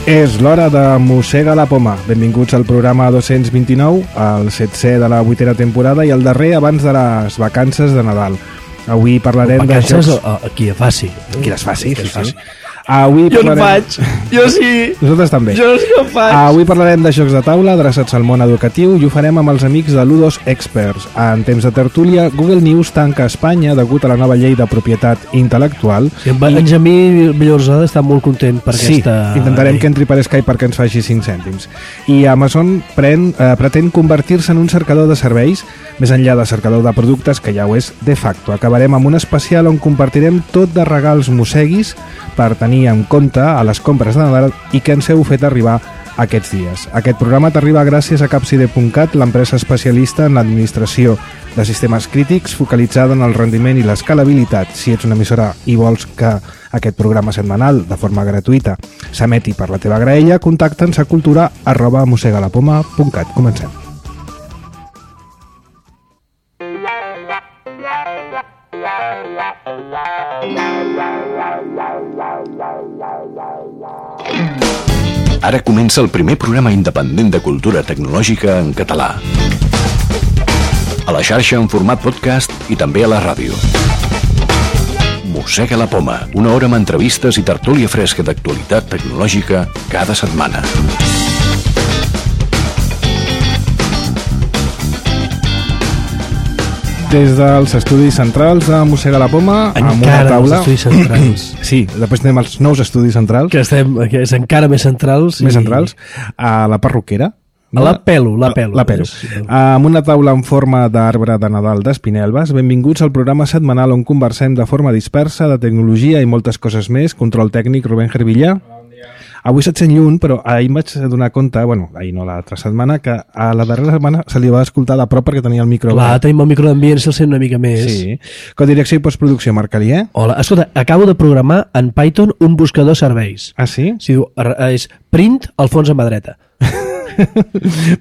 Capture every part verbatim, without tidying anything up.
És l'hora de Mossega la Poma. Benvinguts al programa dos-cents vint-i-nou, el setzè de la vuitena temporada i el darrer abans de les vacances de Nadal. Avui parlarem de jocs... Vacances aquí a faci. Aquí les faci, sí, sí, sí. sí. Avui jo parlarem... no faig, jo sí. Nosaltres també. Jo sí que faig. Avui parlarem de jocs de taula adreçats al món educatiu i ho farem amb els amics de Ludos Experts. En temps de tertúlia, Google News tanca Espanya degut a la nova llei de propietat intel·lectual. Sí, en Benjamí Villorsada està molt content per sí, aquesta... Sí, intentarem que entri per Skype perquè ens faci cinc cèntims. I Amazon pren, eh, pretén convertir-se en un cercador de serveis, més enllà de cercador de productes, que ja ho és de facto. Acabarem amb un especial on compartirem tot de regals mosseguis per tenir en compte a les compres de Nadal i que ens heu fet arribar aquests dies. Aquest programa t'arriba gràcies a Capcide punt cat, l'empresa especialista en l'administració de sistemes crítics focalitzada en el rendiment i l'escalabilitat. Si ets una emissora i vols que aquest programa setmanal, de forma gratuïta, s'emeti per la teva graella, contacta'ns a cultura arroba mossegalapoma punt cat. Comencem. Ara comença el primer programa independent de cultura tecnològica en català. A la xarxa en format podcast i també a la ràdio. Mossega la Poma, una hora amb entrevistes i tertúlia fresca d'actualitat tecnològica cada setmana. Des dels estudis centrals de Mossega la Poma, encara amb una taula... els estudis centrals. Sí, després tenim els nous estudis centrals. Que, estem, que és encara més centrals. Més i... centrals. A la perruquera. A la pelo, la pelo. La pelo. Amb una taula en forma d'arbre de Nadal d'Espinelves, benvinguts al programa setmanal on conversem de forma dispersa de tecnologia i moltes coses més. Control tècnic, Rubén Gervillà. Avui se't sent lluny, però ahir em vaig donar compte, bueno, ahir no, l'altra setmana, que a la darrera setmana se li va escoltar de prop perquè tenia el micro... Clar, tenim el micro d'ambient, se'l sent una mica més. Sí. Codirecció i postproducció, Marc Calier. Hola, escolta, acabo de programar en Python un buscador serveis. Ah, sí? Si diu, és print Alfons a mà dreta.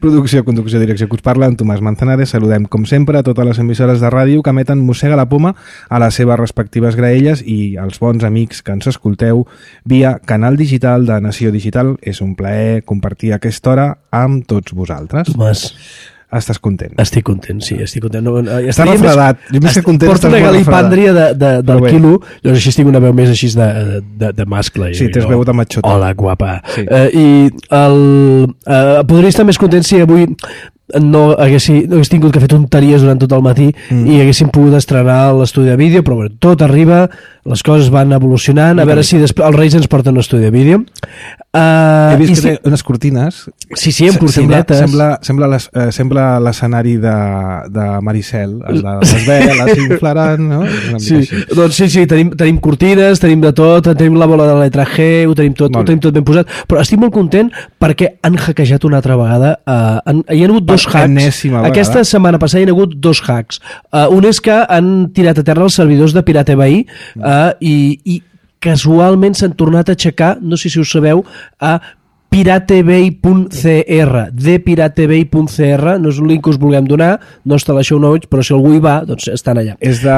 Producció, conducció, direcció que us parla en Tomàs Manzanares. Saludem com sempre a totes les emissores de ràdio que emeten Mossega la Poma a les seves respectives graelles i als bons amics que ens escolteu via canal digital de Nació Digital. És un plaer compartir aquesta hora amb tots vosaltres. Tomàs, estàs content? estic content, sí, estic content. No, Està refredat. Jo més que content, porto una galipàndria de, de, del quilo, llavors així tinc una veu més així de, de, de mascle. Sí, t'has veu de matxota. Hola, guapa. Sí. Uh, I el, uh, podria estar més content si avui no haguessi, no hagués tingut que fer tonteries durant tot el matí mm. i haguéssim pogut estrenar l'estudi de vídeo, però bueno, tot arriba, les coses van evolucionant, a veure si després els Reis ens porten un estudi de vídeo. Uh, He vist que si... té unes cortines. Sí, sí, amb cortinetes. Sembla, sembla, les, eh, sembla l'escenari de, de Maricel, el de les veles s'inflaran, no? Sí, doncs sí, sí, tenim, tenim cortines, tenim de tot, tenim la bola de la letra G, ho tenim tot, ho tenim tot ben posat, però estic molt content perquè han hackejat una altra vegada. Uh, han, hi ha hagut dos hacks. Aquesta setmana passada hi ha hagut dos hacks. Uh, un és que han tirat a terra els servidors de Pirate Bay uh, i, i casualment s'han tornat a aixecar, no sé si ho sabeu, a piratebay punt c r, de piratebay punt c r, no és un link que us vulguem donar, no està a la show notes, però si algú hi va, doncs estan allà. És de,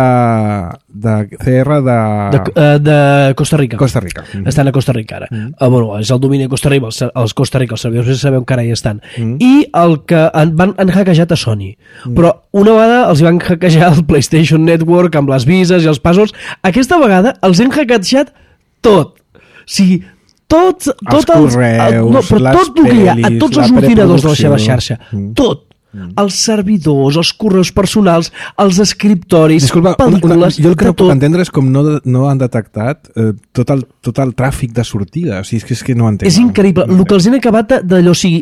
de C R de... De, uh, de Costa Rica. Costa Rica. Mm-hmm. Estan a Costa Rica ara. Mm-hmm. Uh, bueno, és el domini de Costa Rica, els, els Costa Rica, els servidors ja sabeu que ara hi estan. Mm-hmm. I el que han, van, han hackejat a Sony. Mm-hmm. Però una vegada els van hackejar el PlayStation Network amb les vises i els passwords. Aquesta vegada els han hackejat tot. O sigui, tots, els tot correus, el, no, però les tot el que hi ha, a tots els ordinadors de la seva xarxa, mm. tot, mm. els servidors, els correus personals, els escriptoris, Disculpa, pel·lícules, una, jo el que no puc tot. entendre és com no, no han detectat eh, tot, el, tot el tràfic de sortida, o sigui, és que, és que no entenc. És increïble, el que els han acabat d'allò, o sigui,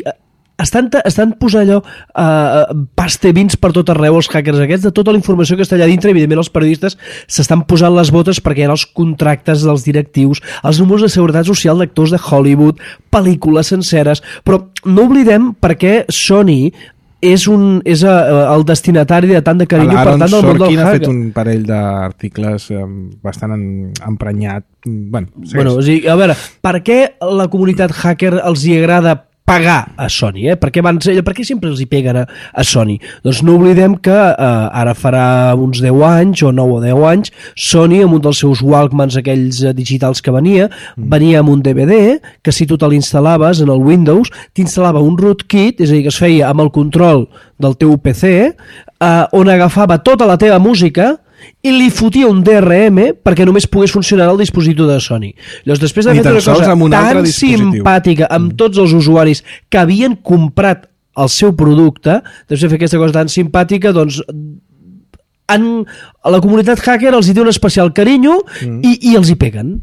estan, estan posant allò uh, pastebins per tot arreu els hackers aquests, de tota la informació que està allà dintre. Evidentment els periodistes s'estan posant les botes perquè hi ha els contractes dels directius, els números de seguretat social d'actors de Hollywood, pel·lícules senceres, però no oblidem perquè Sony és, un, és uh, el destinatari de tant de carinyo, per tant, del món del Sorkin ha hacker. fet un parell d'articles um, bastant en, emprenyat. Bueno, bueno, o sigui, a veure, per què la comunitat hacker els hi agrada pagar a Sony, eh? Per què, van, per què sempre els hi peguen a, a Sony? Doncs no oblidem que eh, ara farà uns deu anys o nou o deu anys Sony, amb un dels seus Walkmans aquells eh, digitals que venia, mm. venia amb un D V D que si tu te l'instal·laves en el Windows t'instal·lava un rootkit, és a dir, que es feia amb el control del teu P C, eh, on agafava tota la teva música i li fotia un D R M perquè només pogués funcionar el dispositiu de Sony. Llavors, després d'haver fet una cosa un tan simpàtica amb mm. tots els usuaris que havien comprat el seu producte, després de fer aquesta cosa tan simpàtica, doncs en, a la comunitat hacker els hi té un especial carinyo mm. i, i els hi peguen.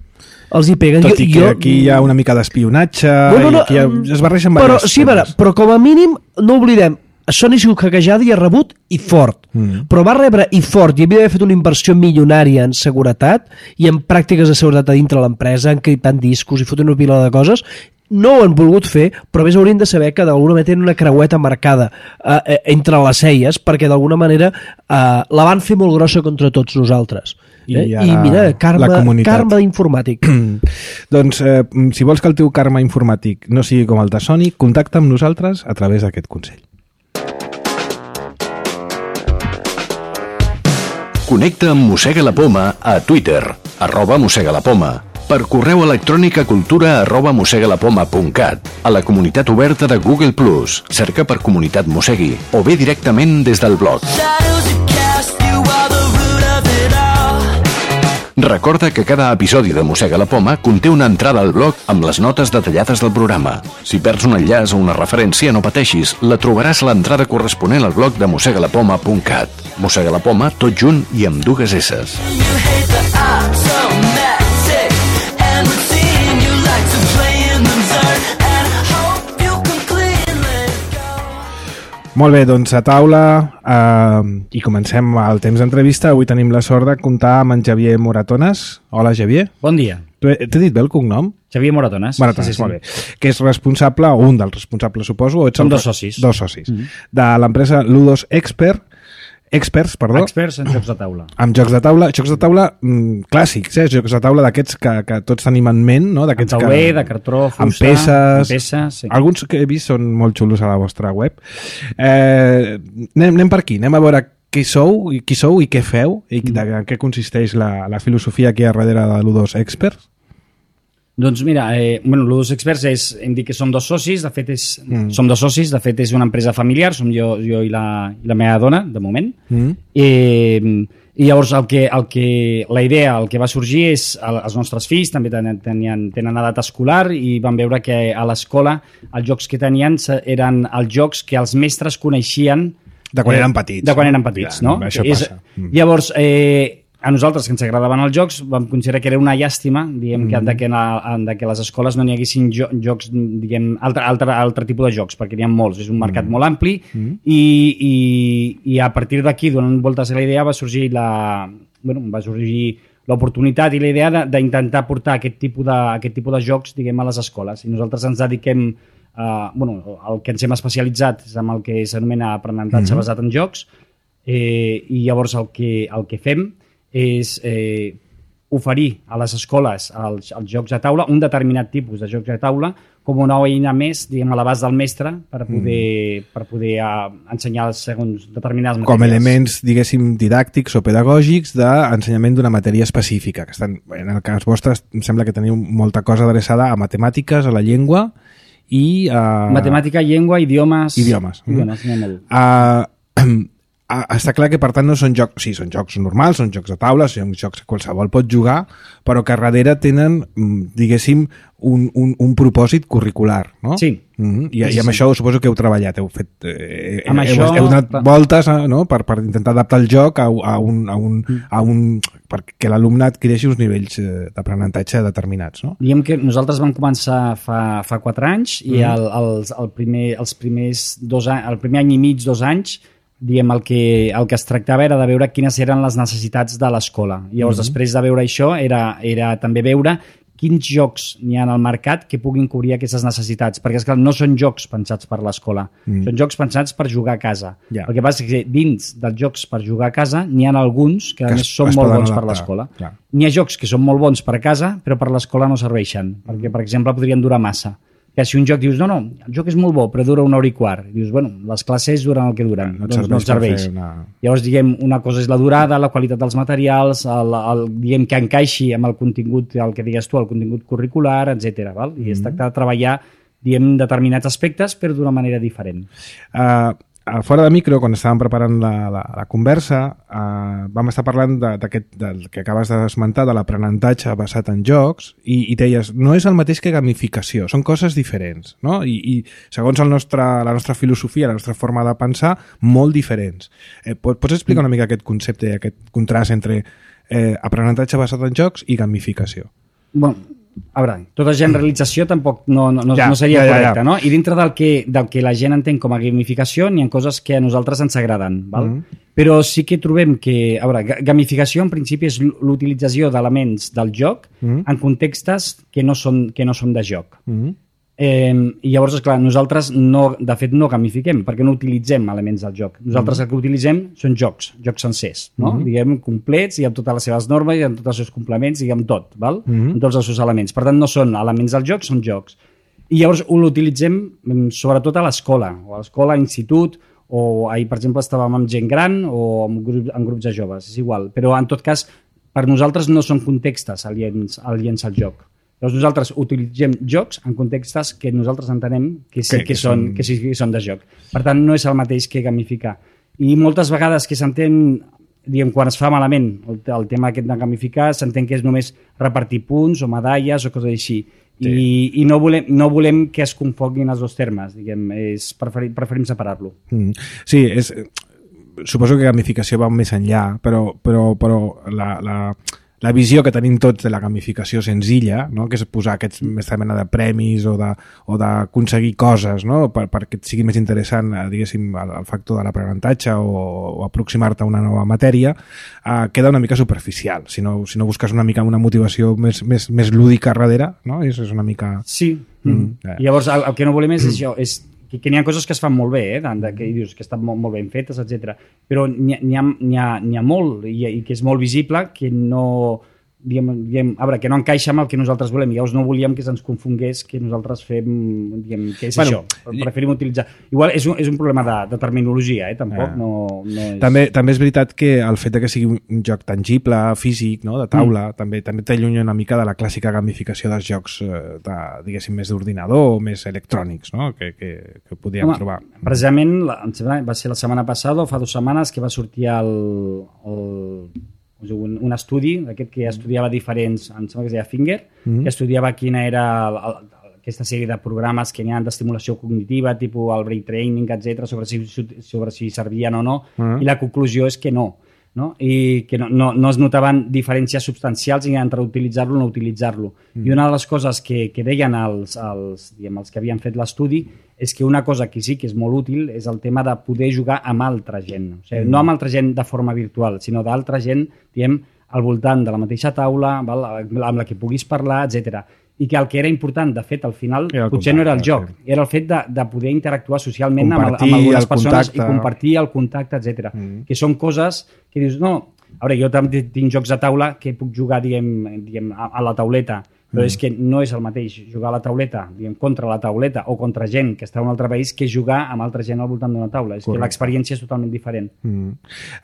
Els hi peguen. Tot i que jo, aquí hi ha una mica d'espionatge, no, no, no, i aquí ha, es barreixen però, diversos sí, veure, però com a mínim no oblidem, Sony ha sigut hackejada i ha rebut i fort, mm. però va rebre i fort i havia d'haver fet una inversió milionària en seguretat i en pràctiques de seguretat a dintre l'empresa, encriptant discos i fotent una pila de coses. No ho han volgut fer, però més haurien de saber que d'alguna manera tenen una creueta marcada eh, entre les celles, perquè d'alguna manera eh, la van fer molt grossa contra tots nosaltres. Eh? I, I mira, karma, karma informàtic. Doncs eh, si vols que el teu karma informàtic no sigui com el de Sony, contacta amb nosaltres a través d'aquest consell. Connecta amb Mossega la Poma a Twitter, arroba Mossega la Poma, per correu electrònic a cultura arroba mossegalapoma punt cat, a la comunitat oberta de Google plus, cerca per Comunitat Mossegui, o bé directament des del blog. Recorda que cada episodi de Mossega la Poma conté una entrada al blog amb les notes detallades del programa. Si perds un enllaç o una referència, no pateixis, la trobaràs a l'entrada corresponent al blog de mossegalapoma punt cat. Mossega la Poma, tot junt i amb dues esses. Molt bé, doncs a taula eh, i comencem el temps d'entrevista. Avui tenim la sort de comptar amb en Xavier Moratones. Hola, Xavier. Bon dia. T'he dit bé el cognom? Xavier Moratones. Moratones, sí, sí, sí. Molt bé. Que és responsable, o un dels responsables, suposo. O ets Som el... dos socis. Dos socis. Mm-hmm. De l'empresa Ludos Expert, Experts, perdó. Experts en jocs de taula. Amb jocs de taula, jocs de taula mm, clàssics, eh? Jocs de taula d'aquests que, que tots tenim en ment, no? Amb tauler, que... de cartró, fusta... Amb peces... Amb peces, sí. Alguns que he vist són molt xulos a la vostra web. Eh, anem, anem per aquí, anem a veure qui sou, qui sou i què feu, i de, de què consisteix la, la filosofia que hi ha darrere de Ludos Experts. Doncs mira, eh, bueno, Ludos Experts és, hem dit que som dos socis, de fet és, mm. som dos socis, de fet és una empresa familiar, som jo, jo i, la, i la meva dona, de moment. Mm. Eh, I llavors el que, el que, la idea, el que va sorgir és, el, els nostres fills també tenien, tenien, tenen edat escolar i van veure que a l'escola els jocs que tenien eren els jocs que els mestres coneixien de quan eh, eren petits. De quan eren petits, ja, no? Això és, passa. Mm. Llavors, eh, a nosaltres, que ens agradaven els jocs, vam considerar que era una llàstima, diguem, mm. que, de, que, en, de que a les escoles no n'hi haguessin jo, jocs, diguem, altre, altre, altre tipus de jocs, perquè n'hi ha molts, és un mercat mm. molt ampli, mm. i, i, i a partir d'aquí, donant voltes a la idea, va sorgir la, bueno, va sorgir l'oportunitat i la idea d'intentar portar aquest tipus de, aquest tipus de jocs, diguem, a les escoles. I nosaltres ens dediquem, uh, bueno, el que ens hem especialitzat és amb el que s'anomena aprenentatge mm. basat en jocs, eh, i llavors el que, el que fem és eh, oferir a les escoles els, els jocs de taula, un determinat tipus de jocs de taula, com una eina més, diguem, a l'abast del mestre per poder, mm. per poder uh, ensenyar segons determinades matèries. Com elements, diguéssim, didàctics o pedagògics d'ensenyament d'una matèria específica. Que estan, en el cas vostre, em sembla que teniu molta cosa adreçada a matemàtiques, a la llengua i... Uh... Matemàtica, llengua, idiomes... Idiomes. Idiomes, n'hi ha molt. Uh, està clar que per tant no són jocs, sí, són jocs normals, són jocs de taula, són jocs que qualsevol pot jugar, però que darrere tenen, diguéssim, un, un, un propòsit curricular, no? Sí. Mm-hmm. I, sí, i amb sí. Això suposo que heu treballat, heu fet eh, amb heu, això... heu donat voltes, no? per, per intentar adaptar el joc a, a un, a un, a un perquè l'alumne adquireixi uns nivells d'aprenentatge determinats, no? Diguem que nosaltres vam començar fa, fa quatre anys i mm. el, els, el primer, els primers dos anys, el primer any i mig, dos anys, diguem, el que, el que es tractava era de veure quines eren les necessitats de l'escola. I llavors, mm-hmm. després de veure això, era, era també veure quins jocs n'hi ha al mercat que puguin cobrir aquestes necessitats. Perquè, esclar, no són jocs pensats per l'escola, mm. són jocs pensats per jugar a casa. Yeah. El que passa és que dins dels jocs per jugar a casa n'hi ha alguns que, que a més, es, són molt bons adaptar. Per l'escola. Yeah. N'hi ha jocs que són molt bons per a casa, però per l'escola no serveixen. Perquè, per exemple, podrien durar massa. que si un joc dius, no, no, el joc és molt bo, però dura una hora i quart. Dius, bueno, les classes duren el que duren, no doncs no et serveix. Una... Llavors, diguem, una cosa és la durada, la qualitat dels materials, el, el, diguem que encaixi amb el contingut, el que digues tu, el contingut curricular, etcètera. Val? I mm-hmm. es tracta de treballar, diguem, determinats aspectes, però d'una manera diferent. Uh... Fora de micro, quan estàvem preparant la, la, la conversa, eh, vam estar parlant d'aquest, del que acabes d'esmentar, de l'aprenentatge basat en jocs, i, i deies, no és el mateix que gamificació, són coses diferents, no? I, i segons el nostre, la nostra filosofia, la nostra forma de pensar, molt diferents. Eh, pots explicar una mica aquest concepte i aquest contrast entre eh, aprenentatge basat en jocs i gamificació? Bueno, a veure, tota generalització tampoc no, no, no, ja, no seria ja, ja, correcta, ja. No? I dintre del que, del que la gent entén com a gamificació n'hi ha coses que a nosaltres ens agraden, val? Mm-hmm. Però sí que trobem que, a veure, gamificació en principi és l'utilització d'elements del joc mm-hmm. en contextes que no són, que no són de joc. Mm-hmm. Eh, i llavors, esclar, nosaltres no, de fet no gamifiquem perquè no utilitzem elements del joc. Nosaltres mm-hmm. el que utilitzem són jocs, jocs sencers, no? Mm-hmm. Diguem, complets i amb totes les seves normes i amb tots els seus complements i amb tot, val? Mm-hmm. Amb tots els seus elements. Per tant, no són elements del joc, són jocs. I llavors l'utilitzem sobretot a l'escola, o a l'escola, a l'institut, o ahir, per exemple, estàvem amb gent gran o amb, grup, amb grups de joves, és igual. Però, en tot cas, per nosaltres no són contextes aliens, aliens al joc. Llavors nosaltres utilitzem jocs en contextes que nosaltres entenem que sí que, que, són, que sí que són de joc. Per tant, no és el mateix que gamificar. I moltes vegades que s'entén, diguem, quan es fa malament el, el tema aquest de gamificar, s'entén que és només repartir punts o medalles o coses així. Sí. I, i no, volem, no volem que es confonguin els dos termes, diguem, és, preferim, preferim separar-lo. Mm. Sí, és, suposo que gamificació va més enllà, però, però, però la... la... la visió que tenim tots de la gamificació senzilla, no? Que és posar aquesta mena de premis o d'aconseguir coses, no? per, perquè et sigui més interessant, diguéssim, el, el factor de l'aprenentatge o, o aproximar-te a una nova matèria, eh, queda una mica superficial. Si no, si no busques una mica una motivació més, més, més lúdica darrere, no? És, és una mica... Sí. Mm. Eh. I llavors el, el que no volem és això, és que, que n'hi ha coses que es fan molt bé, eh? de, que dius que estan molt, molt ben fetes, etcètera. Però n'hi ha, n'hi ha, n'hi ha molt i, i que és molt visible que no... Diguem, diguem, a veure, que no encaixa amb el que nosaltres volem. Llavors no volíem que se'ns confongués que nosaltres fem, diguem, què és bueno, això. Preferim utilitzar... Igual és un, és un problema de, de terminologia, eh? Tampoc ah. no, no és... També, també és veritat que el fet que sigui un joc tangible, físic, no? De taula, mm. també també t'allunya una mica de la clàssica gamificació dels jocs, de, diguéssim, més d'ordinador o més electrònics, no? Que, que, que podíem Home, trobar. Precisament, la, va ser la setmana passada o fa dues setmanes que va sortir el... el Un, un estudi d'aquest que estudiava diferents, em sembla que es deia Finger, mm-hmm. que estudiava quina era el, el, aquesta sèrie de programes que n'hi ha d'estimulació cognitiva, tipus el brain training, etcètera, sobre si, sobre si servien o no, mm-hmm. i la conclusió és que no, no? I que no, no, no es notaven diferències substancials entre utilitzar-lo o no utilitzar-lo. Mm. I una de les coses que, que deien els, els, diguem, els que havien fet l'estudi és que una cosa que sí que és molt útil és el tema de poder jugar amb altra gent. O sigui, mm. no amb altra gent de forma virtual, sinó d'altra gent, diguem, al voltant de la mateixa taula, val? Amb la que puguis parlar, etcètera. I que el que era important, de fet, al final, potser contacte, no era el joc, sí. Era el fet de, de poder interactuar socialment amb, amb algunes persones contacte. I compartir el contacte, etcètera. Mm. Que són coses que dius, no, a veure, jo també tinc jocs de taula que puc jugar, diguem, diguem a, a la tauleta, però mm. és que no és el mateix jugar a la tauleta, diguem, contra la tauleta o contra gent que està en un altre país que jugar amb altra gent al voltant d'una taula. És Correcte. Que l'experiència és totalment diferent. Mm.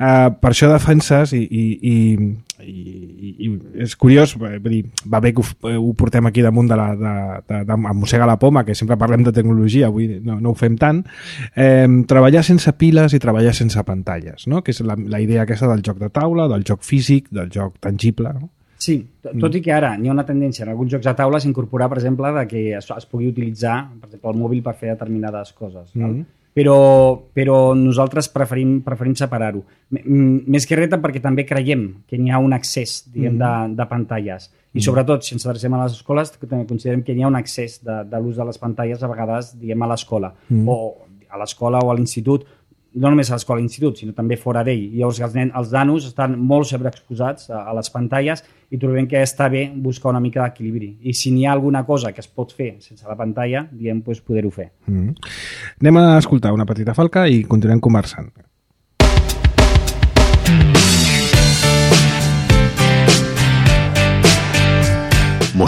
Uh, per això defenses i, i, i, i, i és curiós, vull dir, va bé que ho, ho portem aquí damunt de la, de, de, de, de mossega la poma, que sempre parlem de tecnologia, avui no, no ho fem tant, eh, treballar sense piles i treballar sense pantalles, no? Que és la, la idea aquesta del joc de taula, del joc físic, del joc tangible, no? Sí, tot i que ara hi ha una tendència en alguns jocs de taula s'incorporar, per exemple, de que es, es pugui utilitzar, per exemple, el mòbil per fer determinades coses. Mm -hmm. però, però nosaltres preferim, preferim separar-ho. Més que res perquè també creiem que n'hi ha un accés, diguem, mm -hmm. de, de pantalles. I sobretot, si ens adrecem a les escoles, també considerem que hi ha un accés de, de l'ús de les pantalles a vegades, diguem, a l'escola. Mm -hmm. O a l'escola o a l'institut, no només a l'escola i l'institut, sinó també fora d'ell. Llavors els, nen, els nanos estan molt sobreexposats a, a les pantalles i trobem que està bé buscar una mica d'equilibri. I si n'hi ha alguna cosa que es pot fer sense la pantalla, diem, doncs poder-ho fer. Mm. Anem a escoltar una petita falca i continuem conversant.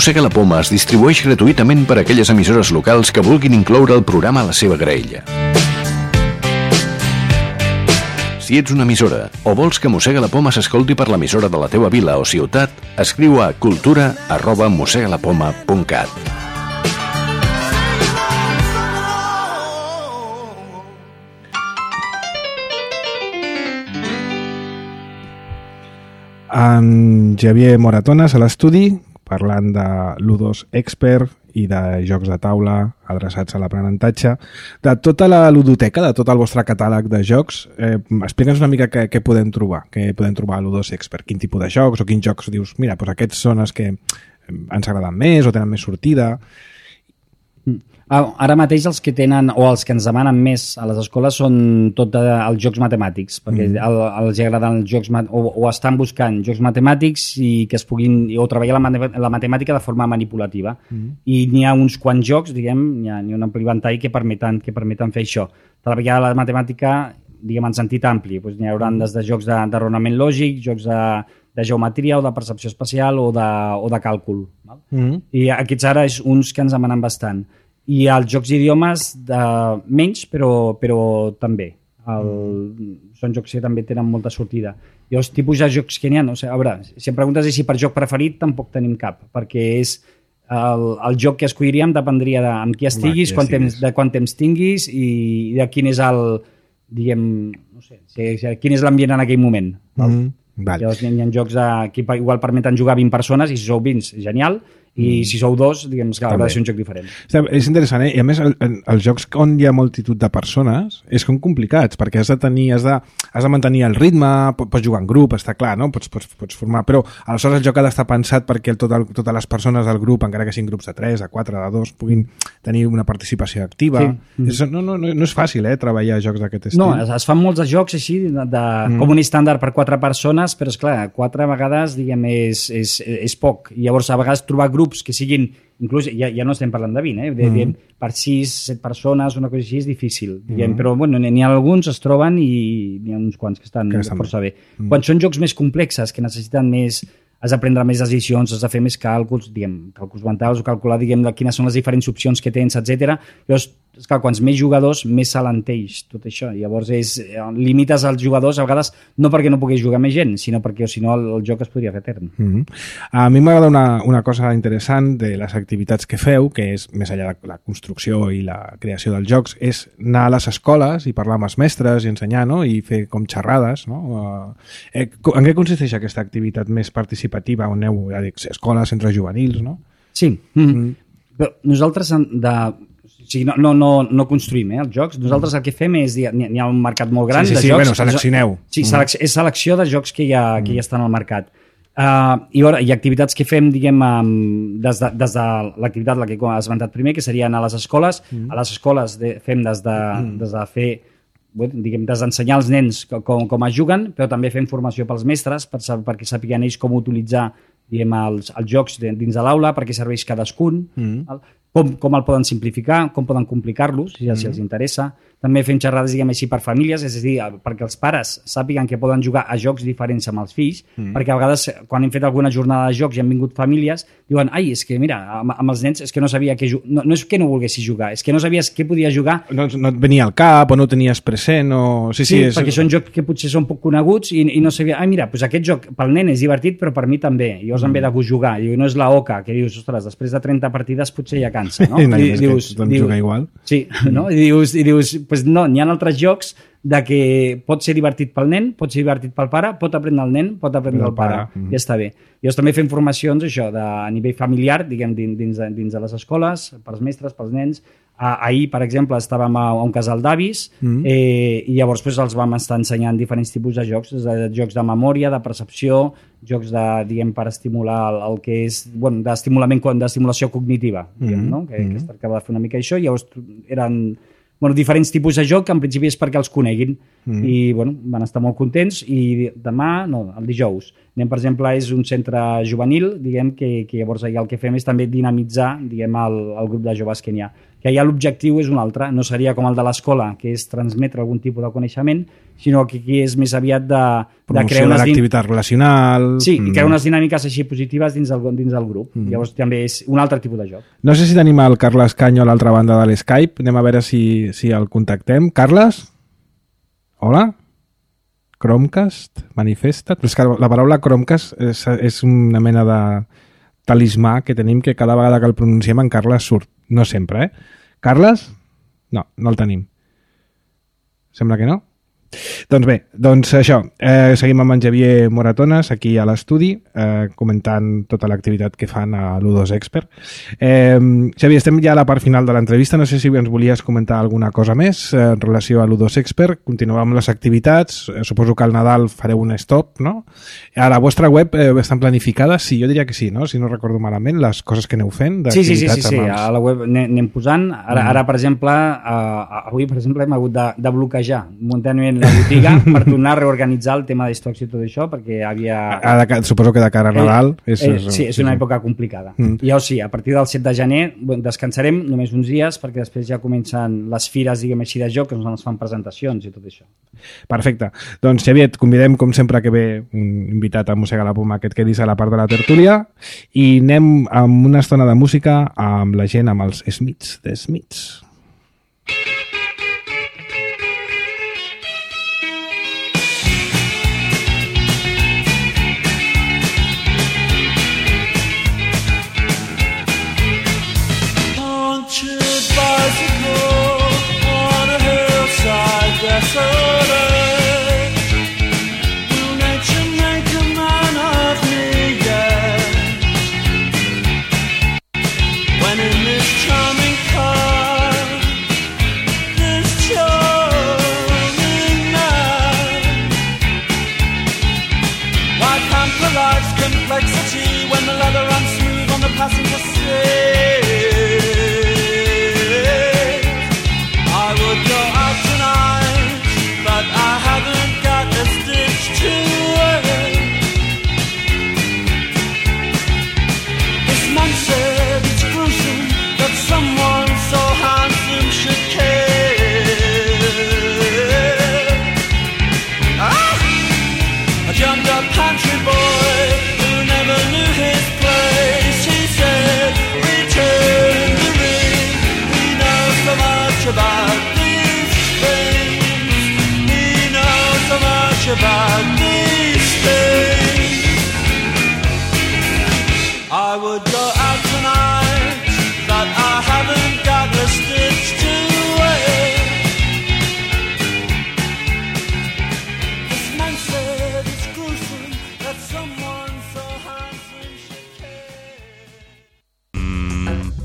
Mossega la Poma es distribueix gratuïtament per a aquelles emissores locals que vulguin incloure el programa a la seva graella. Si ets una emissora o vols que Mossega la Poma s'escolti per l'emissora de la teva vila o ciutat, escriu a cultura arroba mossegalapoma punt cat. En Xavier Moratones a l'estudi, parlant de l'U dos Expert i de jocs de taula adreçats a l'aprenentatge, de tota la ludoteca, de tot el vostre catàleg de jocs. Eh, explica'ns una mica què, què podem trobar, què podem trobar a l'U dos Expert, quin tipus de jocs o quins jocs dius, mira, doncs aquests són els que ens agraden més o tenen més sortida. Ara mateix els que tenen o els que ens demanen més a les escoles són tot els jocs matemàtics, perquè mm. el, els agraden els jocs o, o estan buscant jocs matemàtics i que es puguin o treballar la, la matemàtica de forma manipulativa. Mm. I n'hi ha uns quants jocs, diguem, n'hi ha, n'hi ha un ampli ventall que permeten, que permeten fer això. Treballar la matemàtica, diguem, en sentit ampli. Doncs n'hi haurà des de jocs de, de raonament lògic, jocs de, de geometria o de percepció espacial o de, o de càlcul. Val? Mm. I aquests ara és uns que ens demanen bastant. I els jocs d'idiomes de menys, però, però també. El, són jocs que també tenen molta sortida. I els tipus de jocs que n'hi ha, no sé, a veure, si em preguntes si per joc preferit, tampoc tenim cap, perquè és el, el joc que escolliríem dependria de amb qui estiguis, Va, quant temps, de quant temps tinguis i de quin és el, diguem, no sé, si, si, quin és l'ambient en aquell moment. Mm-hmm. Vale. Llavors hi ha jocs de, que igual permeten jugar vint persones i si sou vint, genial, i mm. si sou dos, diguem que haurà de ser un joc diferent. És interessant, eh? I a més, el, el, els jocs on hi ha multitud de persones és com complicats, perquè has de tenir, has de, has de mantenir el ritme, pots jugar en grup, està clar, no? Pots, pots, pots formar, però aleshores el joc ha d'estar pensat perquè el, tot el, totes les persones del grup, encara que siguin grups de tres, de quatre, de dos, puguin tenir una participació activa. Sí. És, no, no, no, no és fàcil, eh, treballar jocs d'aquest estil. No, es, es fan molts de jocs així, de, de, mm. com un estàndard per quatre persones, però és clar, quatre vegades, diguem, és, és, és poc. I llavors, a vegades, trobar grups que siguin, inclús, ja, ja no estem parlant de vint, eh? De, mm. diguem, per sis, set persones, una cosa així és difícil. Diguem, mm. Però bueno, n'hi ha alguns, es troben i n'hi ha uns quants que estan, que estan força bé. bé. Mm. Quan són jocs més complexes, que necessiten més, has de prendre més decisions, has de fer més càlculs, diguem, càlculs mentals o calcular, diguem, quines són les diferents opcions que tens, etcètera. Llavors, és clar, quants més jugadors, més s'alenteix tot això. Llavors, és, limites els jugadors, a vegades, no perquè no puguis jugar més gent, sinó perquè, si no, el, el joc es podria fer etern. Mm-hmm. A mi m'agrada una, una cosa interessant de les activitats que feu, que és, més enllà de la construcció i la creació dels jocs, és anar a les escoles i parlar amb els mestres i ensenyar, no? I fer com xerrades, no? Eh, en què consisteix aquesta activitat més participativa on aneu, ja dic, escoles, centres juvenils, no? Sí. Mm-hmm. Mm. Però nosaltres de... O sigui, no, no, no, no construïm eh, els jocs. Nosaltres el que fem és... N'hi ha, n'hi ha un mercat molt gran sí, sí, de sí, jocs. Bueno, seleccioneu. Sí, selec és selecció de jocs que ja, que ja estan al mercat. Uh, i, ara, I activitats que fem, diguem, um, des de, des de l'activitat la que has esmentat primer, que seria anar a les escoles. Mm. A les escoles de, fem des de, mm. des de fer... diguem, des d'ensenyar als nens com, com es juguen, però també fem formació pels mestres per, perquè sàpiguen ells com utilitzar diguem, els, els jocs dins de l'aula, perquè serveix cadascun, mm. com, com el poden simplificar, com poden complicar-los, si, mm. si els interessa. També fem xerrades, diguem així, per famílies, és a dir, perquè els pares sàpiguen que poden jugar a jocs diferents amb els fills, mm. perquè a vegades, quan hem fet alguna jornada de jocs i han vingut famílies, diuen, ai, és que mira, amb, amb els nens és que no sabia que jugar, no, no és que no volguessis jugar, és que no sabies què podia jugar. No, no et venia al cap o no tenies present o... Sí, sí, sí és... perquè són jocs que potser són poc coneguts i, i no sabia, ai, mira, doncs aquest joc pel nen és divertit, però per mi també, i llavors mm. em ve de gust jugar, i no és la oca, que dius, ostres, després de trenta partides potser ja cansa, no? I, no, I dius, que dius, jugar igual. Sí, no? I dius, i dius pues no, n'hi ha altres jocs de que pot ser divertit pel nen, pot ser divertit pel pare, pot aprendre el nen, pot aprendre el pare, pare. Mm. Ja està bé. Llavors també fem formacions això, de, a nivell familiar, diguem, dins, dins, de, dins de les escoles, pels mestres, pels nens. Ah, ahir, per exemple, estàvem a, a un casal d'avis mm. eh, i llavors pues, els vam estar ensenyant diferents tipus de jocs, de jocs de memòria, de percepció, jocs de, diguem, per estimular el, el que és, bueno, d'estimulament, d'estimulació cognitiva, diguem, mm. no? Que, mm. que es tractava de fer una mica això, i llavors eren bueno, diferents tipus de joc que en principi és perquè els coneguin mm. i bueno, van estar molt contents i demà, no, el dijous anem, per exemple, és un centre juvenil diguem que, que llavors allà el que fem és també dinamitzar diguem, el, el grup de joves que n'hi ha que ja l'objectiu és un altre, no seria com el de l'escola, que és transmetre algun tipus de coneixement, sinó que aquí és més aviat de, de crear unes... l'activitat relacional... Sí, i crear unes dinàmiques així positives dins del, dins del grup. Mm. Llavors també és un altre tipus de joc. No sé si tenim el Carles Canyo a l'altra banda de l'Skype, anem a veure si, si el contactem. Carles? Hola? Chromecast? Manifesta't? És que la paraula Chromecast és, és una mena de talismà que tenim que cada vegada que el pronunciem en Carles surt. No sempre, eh? Carles? No, no el tenim. Sembla que no. Doncs bé, doncs això, eh, seguim amb en Xavier Moratones aquí a l'estudi, eh, comentant tota l'activitat que fan a l'U dos Expert. Eh, Xavier, estem ja a la part final de l'entrevista, no sé si ens volies comentar alguna cosa més eh, en relació a l'U dos Expert. Continuem amb les activitats, eh, suposo que al Nadal fareu un stop, no? A la vostra web eh, estan planificades? Sí, jo diria que sí, no? Si no recordo malament, les coses que aneu fent sí, sí, sí, sí, sí. A la web anem posant. Ara, ara per exemple, eh, avui per exemple hem hagut de, de bloquejar momentanament la botiga per tornar a reorganitzar el tema d'estocs i tot això, perquè havia... A, a, suposo que de cara a Nadal... Eh, és, eh, sí, és una època complicada. Mm. I llavors sí, a partir del set de gener descansarem només uns dies, perquè després ja comencen les fires, diguem així, de joc, que ens fan presentacions i tot això. Perfecte. Doncs, Xavier, et convidem, com sempre que ve un invitat a Mossega la Poma, que et quedis a la part de la tertúlia, i anem amb una estona de música amb la gent, amb els Smiths de Smiths.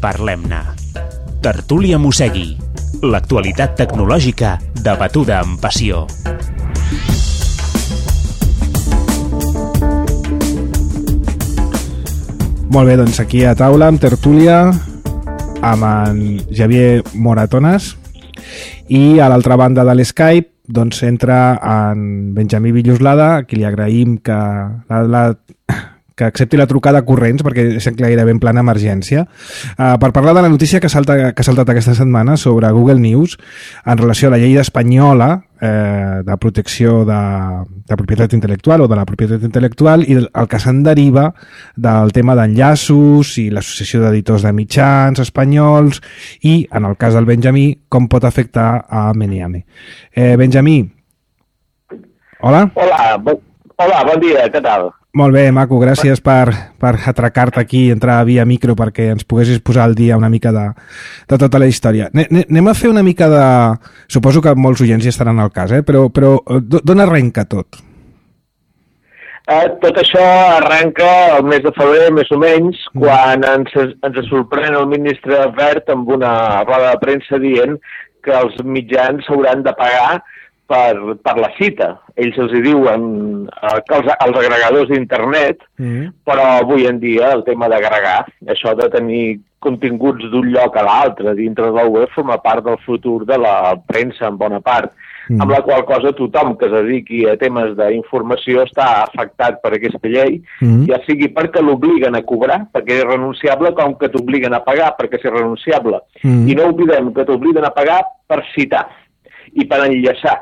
Parlem-ne. Tertúlia Mossegui. L'actualitat tecnològica debatuda amb passió. Molt bé, doncs aquí a taula amb tertúlia amb en Xavier Moratones i a l'altra banda de l'Skype doncs entra en Benjamí Villoslada, a qui li agraïm que la, la que accepti la trucada corrents perquè és gairebé en plana emergència, uh, per parlar de la notícia que, salta, que ha saltat aquesta setmana sobre Google News en relació a la llei espanyola eh, de protecció de, de propietat intel·lectual o de la propietat intel·lectual i el, el que se'n deriva del tema d'enllaços i l'associació d'editors de mitjans espanyols i, en el cas del Benjamí, com pot afectar a Meniame. Eh, Benjamí, hola. Hola, bo, hola, bon dia, què tal? Molt bé, maco, gràcies per, per atracar-te aquí, entrar via micro perquè ens poguessis posar al dia una mica de, de tota la història. Anem a fer una mica de... Suposo que molts oients hi estaran al cas, eh? però, però d'on arrenca tot? Eh, tot això arrenca el mes de febrer, més o menys, mm. quan ens, ens sorprèn el ministre Wert amb una roda de premsa dient que els mitjans s'hauran de pagar per, per la cita. Ells els hi diuen eh, que els, els agregadors d'internet, mm. però avui en dia el tema d'agregar, això de tenir continguts d'un lloc a l'altre dintre del web forma part del futur de la premsa en bona part. Mm. Amb la qual cosa tothom que es dediqui a temes d'informació està afectat per aquesta llei, mm. ja sigui perquè l'obliguen a cobrar, perquè és renunciable, com que t'obliguen a pagar perquè és renunciable. Mm. I no oblidem que t'obliguen a pagar per citar i per enllaçar,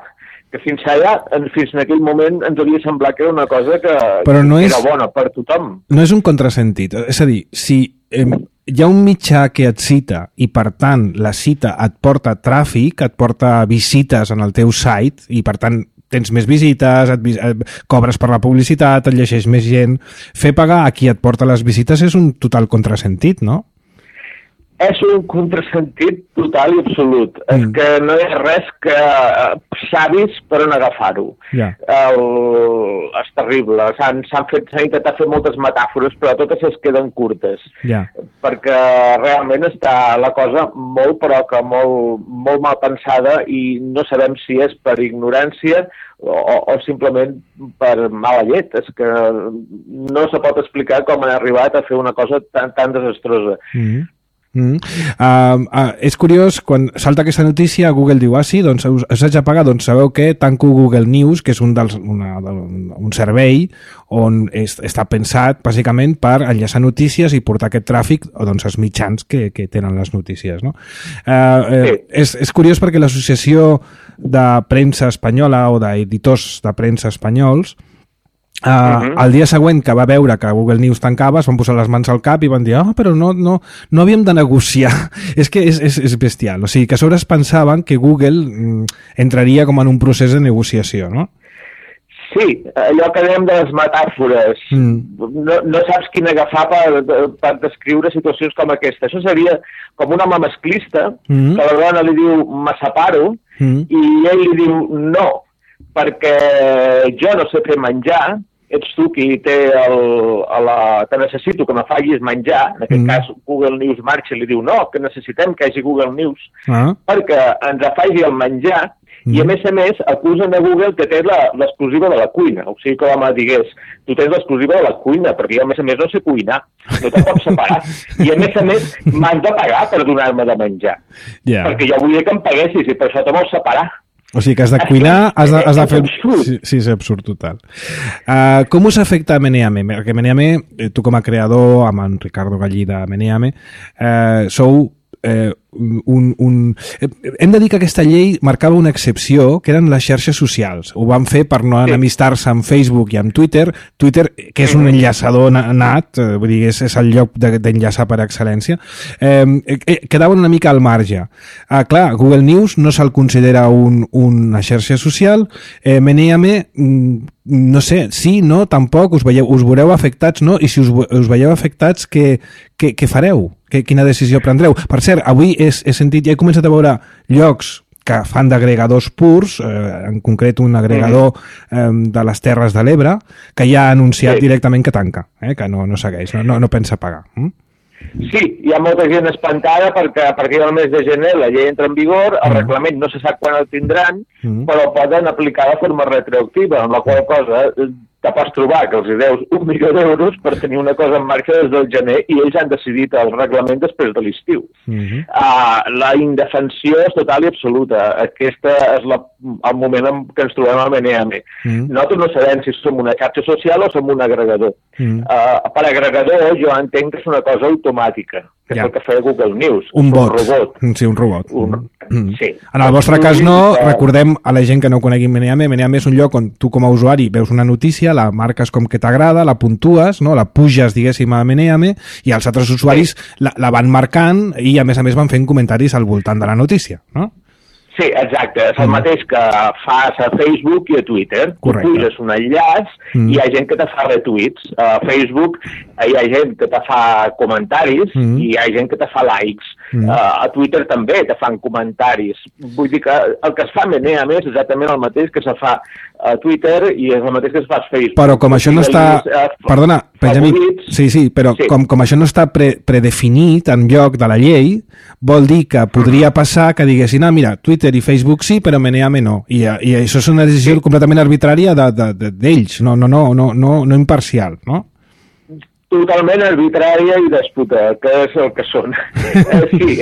que fins allà, fins en aquell moment, ens hauria semblat que era una cosa que, Però no que és, era bona per tothom. No és un contrasentit. És a dir, si eh, hi ha un mitjà que et cita i, per tant, la cita et porta tràfic, et porta visites en el teu site i, per tant, tens més visites, et, et cobres per la publicitat, et llegeix més gent. Fer pagar a qui et porta les visites és un total contrasentit, no? És un contrasentit total i absolut. Mm. És que no hi ha res que savis per on agafar-ho. Yeah. El... És terrible. S'han fet, s'han intentat fer moltes metàfores, però totes es queden curtes. Yeah. Perquè realment està la cosa molt, però que molt, molt mal pensada i no sabem si és per ignorància o, o simplement per mala llet. És que no se pot explicar com han arribat a fer una cosa tan, tan desastrosa. Mm. Mm. Uh, uh, és curiós, quan salta aquesta notícia Google diu, ah sí, doncs us, us haig de pagar, doncs sabeu què? Tanco Google News, que és un, dels, una, un servei on és, està pensat bàsicament per enllaçar notícies i portar aquest tràfic doncs, als mitjans que, que tenen les notícies, no? Uh, uh, és, és curiós perquè l'associació de premsa espanyola o d'editors de premsa espanyols Uh, uh-huh. el dia següent que va veure que Google News tancava es van posar les mans al cap i van dir, ah, oh, però no, no, no havíem de negociar. És que és, és, és bestial. O sigui, que a sobre es pensaven que Google mm, entraria com en un procés de negociació, no? Sí, allò que dèiem de les metàfores. Mm. No, no saps quin agafar per, per descriure situacions com aquesta. Això seria com un home masclista, mm. que la dona li diu me separo, mm. i ell li diu no, perquè jo no sé fer menjar, ets tu qui té el, a la, te necessito que me facis menjar, en aquest mm. cas Google News marxa i li diu no, que necessitem que hi hagi Google News, ah. perquè ens faci el menjar, mm. i a més a més acusen a Google que té l'exclusiva de la cuina, o sigui que l'home digués, tu tens l'exclusiva de la cuina, perquè jo a més a més no sé cuinar, no te pots separar, i a més a més m'has de pagar per donar-me de menjar, yeah. perquè jo volia que em paguessis i per això te vols separar. O sigui que has de cuinar, has de, has de fer... Sí, sí, és absurd total. Uh, com us afecta Meneame? Perquè Meneame, tu com a creador, amb en Ricardo Gallí de Meneame, uh, sou eh, un, un... Hem de dir que aquesta llei marcava una excepció, que eren les xarxes socials. Ho van fer per no enemistar-se amb Facebook i amb Twitter. Twitter, que és un enllaçador nat, vull dir, és, és el lloc d'enllaçar per excel·lència, eh, quedaven una mica al marge. Ah, clar, Google News no se'l considera un, una xarxa social. Eh, Meneame, no sé, sí, no, tampoc, us, veieu, us veureu afectats, no? I si us, us veieu afectats, què, què, què fareu? Que, quina decisió prendreu? Per cert, avui he, he sentit, ja he començat a veure llocs que fan d'agregadors purs, eh, en concret un agregador eh, de les Terres de l'Ebre, que ja ha anunciat sí. directament que tanca, eh, que no, no segueix, no, no, no pensa pagar. Mm? Sí, hi ha molta gent espantada perquè a partir del mes de gener la llei entra en vigor, el mm. reglament no se sap quan el tindran, mm. però poden aplicar de forma retroactiva, amb la qual cosa te pots trobar que els hi deus un milió d'euros per tenir una cosa en marxa des del gener i ells han decidit el reglament després de l'estiu. Mm-hmm. uh, la indefensió és total i absoluta. Aquesta és la, el moment en què ens trobem a Meneame. Mm-hmm. Nosaltres no sabem si som una xarxa social o som un agregador. Mm-hmm. uh, per agregador jo entenc que és una cosa automàtica, que ja. és el que feia Google News. Un bot. Un robot. Sí, un robot. Un... Mm. Sí. En el vostre cas no, recordem a la gent que no conegui Meneame, Meneame és un lloc on tu com a usuari veus una notícia, la marques com que t'agrada, la puntues, no? La puges, diguéssim, a Meneame, i els altres usuaris sí. la, la van marcant i, a més a més, van fent comentaris al voltant de la notícia, no? Sí, exacte. És el mm. mateix que fas a Facebook i a Twitter. Correcte. Tu puges un enllaç mm. i hi ha gent que te fa retuits. A Facebook hi ha gent que te fa comentaris mm. i hi ha gent que te fa likes. mm. uh, a Twitter també te fan comentaris. Vull dir que el que es fa Menea més és exactament el mateix que se fa a Twitter i és el mateix que es fa a Facebook. Però com això no està... Perdona, Benjamí, sí, sí, però sí. Com, com això no està pre predefinit en lloc de la llei, vol dir que podria passar que diguessin, ah, mira, Twitter i Facebook sí, però Meneame no. I, i això és una decisió sí. completament arbitrària d'ells, de, de, no, no, no, no, no, no imparcial, no? Totalment arbitrària i dèspota, que és el que són. eh, sí,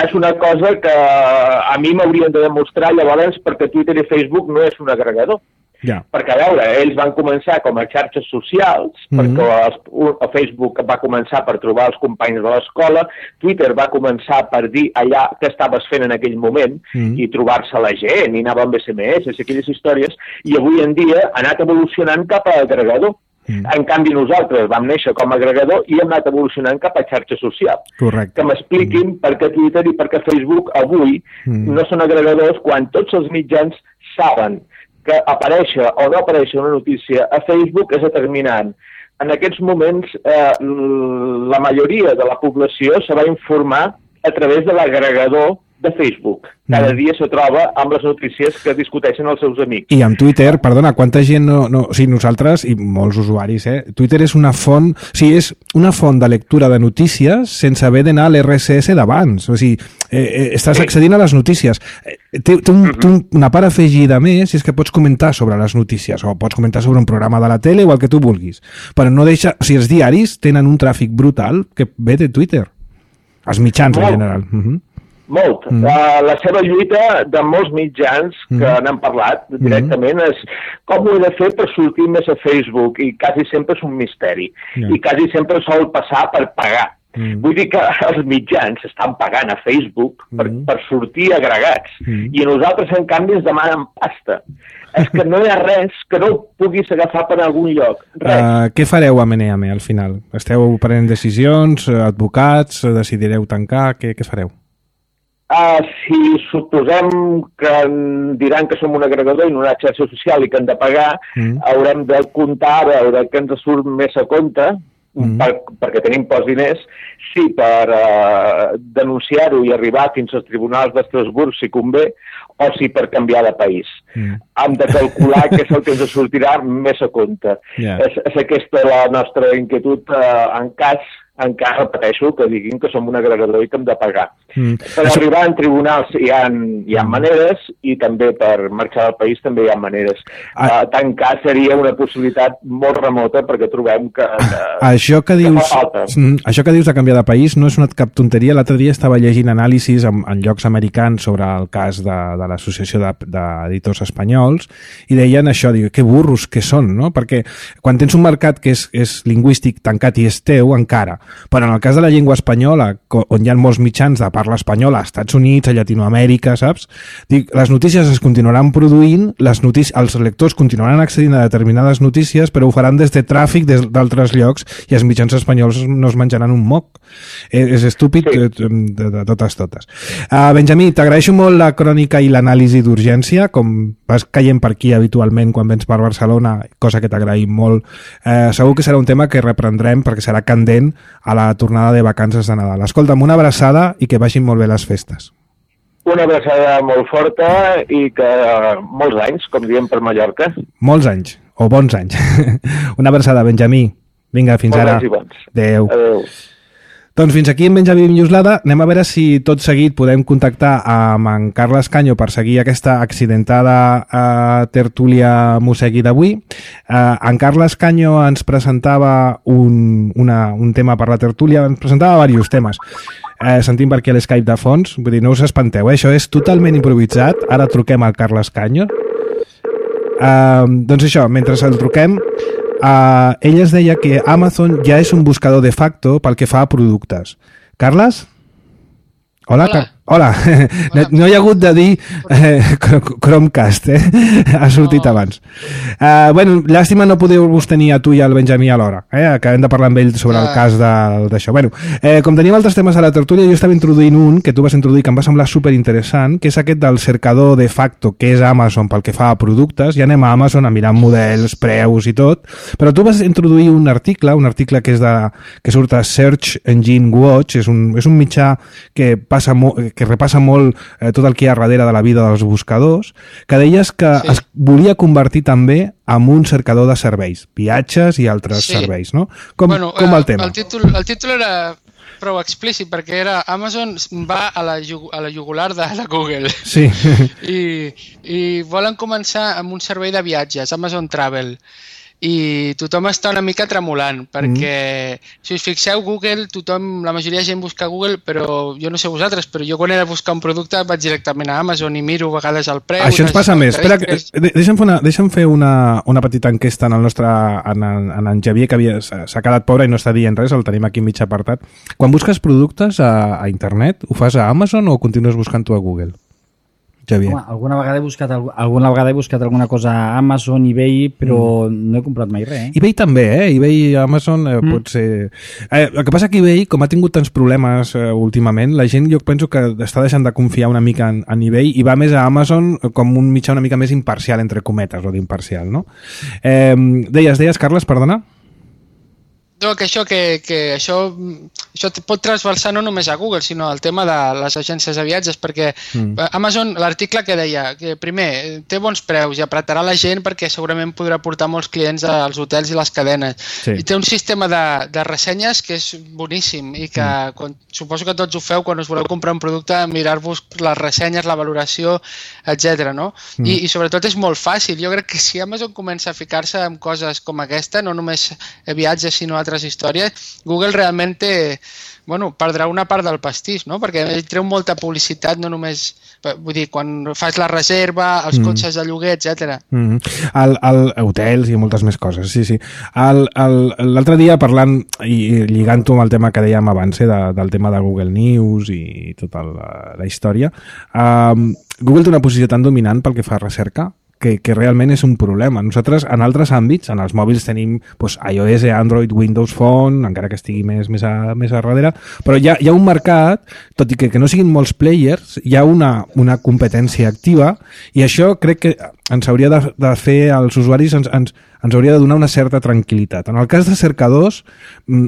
és una cosa que a mi m'haurien de demostrar llavors perquè Twitter i Facebook no és un agregador. Ja. Perquè, a veure, ells van començar com a xarxes socials, mm-hmm. perquè el, el Facebook va començar per trobar els companys de l'escola, Twitter va començar per dir allà què estaves fent en aquell moment mm-hmm. i trobar-se la gent, i anava amb S M S, aquelles històries, i avui en dia ha anat evolucionant cap a agregador. Mm. En canvi, nosaltres vam néixer com a agregador i hem anat evolucionant cap a xarxa social. Correcte. Que m'expliquin mm. per què Twitter i per què Facebook avui mm. no són agregadors quan tots els mitjans saben que aparèixer o no aparèixer una notícia a Facebook és determinant. En aquests moments, eh, la majoria de la població se va informar a través de l'agregador de Facebook. Cada mm. dia se troba amb les notícies que discuteixen els seus amics. I amb Twitter, perdona, quanta gent no... no o sigui, nosaltres, i molts usuaris, eh? Twitter és una font... O sigui, és una font de lectura de notícies sense haver d'anar a l'R S S d'abans. O sigui, eh, eh, estàs sí. accedint a les notícies. Té, té, un, té un, una part afegida més, és que pots comentar sobre les notícies, o pots comentar sobre un programa de la tele o el que tu vulguis. Però no deixa... O sigui, els diaris tenen un tràfic brutal que ve de Twitter. Els mitjans, en general. Uh -huh. Molt. Mm. Uh, la seva lluita de molts mitjans que mm. n'han parlat directament mm. és com ho he de fer per sortir més a Facebook, i quasi sempre és un misteri. Yeah. I quasi sempre sol passar per pagar. Mm. Vull dir que els mitjans estan pagant a Facebook per, mm. per sortir agregats. Mm. I nosaltres, en canvi, ens demanen pasta. És que no hi ha res que no puguis agafar per algun lloc. Res. Uh, què fareu a Meneame, al final? Esteu prenent decisions, advocats, decidireu tancar? Què, què fareu? Uh, si suposem que diran que som un agregador i no una xarxa social i que hem de pagar, mm. haurem de comptar a veure que ens surt més a compte, mm. per, perquè tenim pocs diners, sí, per uh, denunciar-ho i arribar fins als tribunals d'Estrasburg, si convé, o sí per canviar de país. Mm. Hem de calcular què és el que ens sortirà més a compte. Yeah. És, és aquesta la nostra inquietud uh, en cas encara repeteixo que diguin que som un agregador i que hem de pagar. Mm. Per Això... arribar en tribunals hi ha, hi ha maneres, i també per marxar del país també hi ha maneres. Ah. Uh, tancar seria una possibilitat molt remota perquè trobem que, que, això que, dius, que fa falta. Mm, això que dius de canviar de país no és una cap tonteria. L'altre dia estava llegint anàlisis en, en llocs americans sobre el cas de, de l'Associació d'Editors Espanyols i deien això, diu, que burros que són, no? Perquè quan tens un mercat que és, és lingüístic tancat i és teu, encara. Però en el cas de la llengua espanyola, on hi ha molts mitjans de parla espanyola, als Estats Units, a Llatinoamèrica, saps? Dic, les notícies es continuaran produint, les notícies, els lectors continuaran accedint a determinades notícies, però ho faran des de tràfic d'altres llocs, i els mitjans espanyols no es menjaran un moc. És, és estúpid sí. de, de, de totes, totes. Uh, Benjamí, t'agraeixo molt la crònica i l'anàlisi d'urgència, com vas caient per aquí habitualment quan vens per Barcelona, cosa que t'agraïm molt. Uh, segur que serà un tema que reprendrem perquè serà candent a la tornada de vacances de Nadal. Escolta'm, una abraçada i que vagin molt bé les festes. Una abraçada molt forta i que molts anys, com diem per Mallorca. Molts anys, o bons anys. Una abraçada, Benjamí. Vinga, fins ara. Adéu. Adéu. Doncs fins aquí en Benjamí Minyoslada. Anem a veure si tot seguit podem contactar amb en Carles Canyo per seguir aquesta accidentada uh, tertúlia Mosegui d'avui. Uh, en Carles Canyo ens presentava un, una, un tema per la tertúlia, ens presentava diversos temes. Uh, sentim per aquí a l'Skype de fons, vull dir, no us espanteu, eh? Això és totalment improvisat. Ara truquem al Carles Canyo. Uh, doncs això, mentre el truquem... Uh, ell es deia que Amazon ja és un buscador de facto pel que fa a productes. Carles? Hola, Hola. Car Hola, Hola. No hi ha hagut de dir eh, Chromecast, eh? Ha sortit no. abans. Uh, bueno, llàstima no podeu-vos tenir a tu i al Benjamí alhora, eh? Acabem de parlar amb ell sobre ah. el cas d'això. Bueno, eh, com tenim altres temes a la tertúlia, jo estava introduint un que tu vas introduir que em va semblar superinteressant, que és aquest del cercador de facto, que és Amazon pel que fa a productes. Ja anem a Amazon a mirar models, preus i tot, però tu vas introduir un article, un article que és de, que surt a Search Engine Watch, és un, és un mitjà que passa molt que repassa molt eh, tot el que hi ha darrere de la vida dels buscadors, que deies que sí. es volia convertir també en un cercador de serveis, viatges i altres sí. serveis, no? Com, bueno, com el tema? El títol, el títol era prou explícit, perquè era Amazon va a la, a la jugular de la Google. Sí. I, I volen començar amb un servei de viatges, Amazon Travel. I tothom està una mica tremolant perquè, mm. si us fixeu, Google, tothom, la majoria de gent busca Google, però jo no sé vosaltres, però jo quan he de buscar un producte vaig directament a Amazon i miro a vegades el preu. Això ens passa més. Espera, deixa'm fer, una, deixa'm fer una, una petita enquesta en el nostre, en, en en Xavier, que havia, s'ha quedat pobre i no està dient res, el tenim aquí mig apartat. Quan busques productes a, a internet, ho fas a Amazon o continues buscant-ho a Google? Home, alguna vegada he buscat alguna vegada he buscat alguna cosa a Amazon, eBay, però mm. no he comprat mai res. Eh? eBay també, eh? eBay i Amazon eh, mm. pot ser... Eh, el que passa que eBay, com ha tingut tants problemes eh, últimament, la gent jo penso que està deixant de confiar una mica en, en eBay i va més a Amazon com un mitjà una mica més imparcial, entre cometes, o d'imparcial, no? Eh, deies, deies, Carles, perdona? No, que això, que, que això, això pot transversar no només a Google, sinó al tema de les agències de viatges, perquè mm. Amazon, l'article que deia, que primer, té bons preus i apretarà la gent perquè segurament podrà portar molts clients als hotels i les cadenes. Sí. I té un sistema de, de ressenyes que és boníssim i que mm. quan, suposo que tots ho feu quan us voleu comprar un producte, mirar-vos les ressenyes, la valoració, etcètera. No? Mm. I, I sobretot és molt fàcil. Jo crec que si Amazon comença a ficar-se en coses com aquesta, no només viatges, sinó altres històries, Google realment té, bueno, perdrà una part del pastís, no? Perquè ell treu molta publicitat, no només, vull dir, quan fas la reserva, els mm. cotxes de lloguer, etcètera. Mm. El, el, hotels i moltes més coses, sí, sí. L'altre dia parlant i lligant-ho amb el tema que dèiem abans, eh, de, del tema de Google News i tota la, la història, um, Google té una posició tan dominant pel que fa a recerca Que, que realment és un problema. Nosaltres, en altres àmbits, en els mòbils tenim pues, iOS, Android, Windows Phone, encara que estigui més, més, a, més a darrere, però hi ha, hi ha un mercat, tot i que, que no siguin molts players, hi ha una, una competència activa i això crec que ens hauria de, de fer als usuaris, ens, ens, ens hauria de donar una certa tranquil·litat. En el cas de cercadors,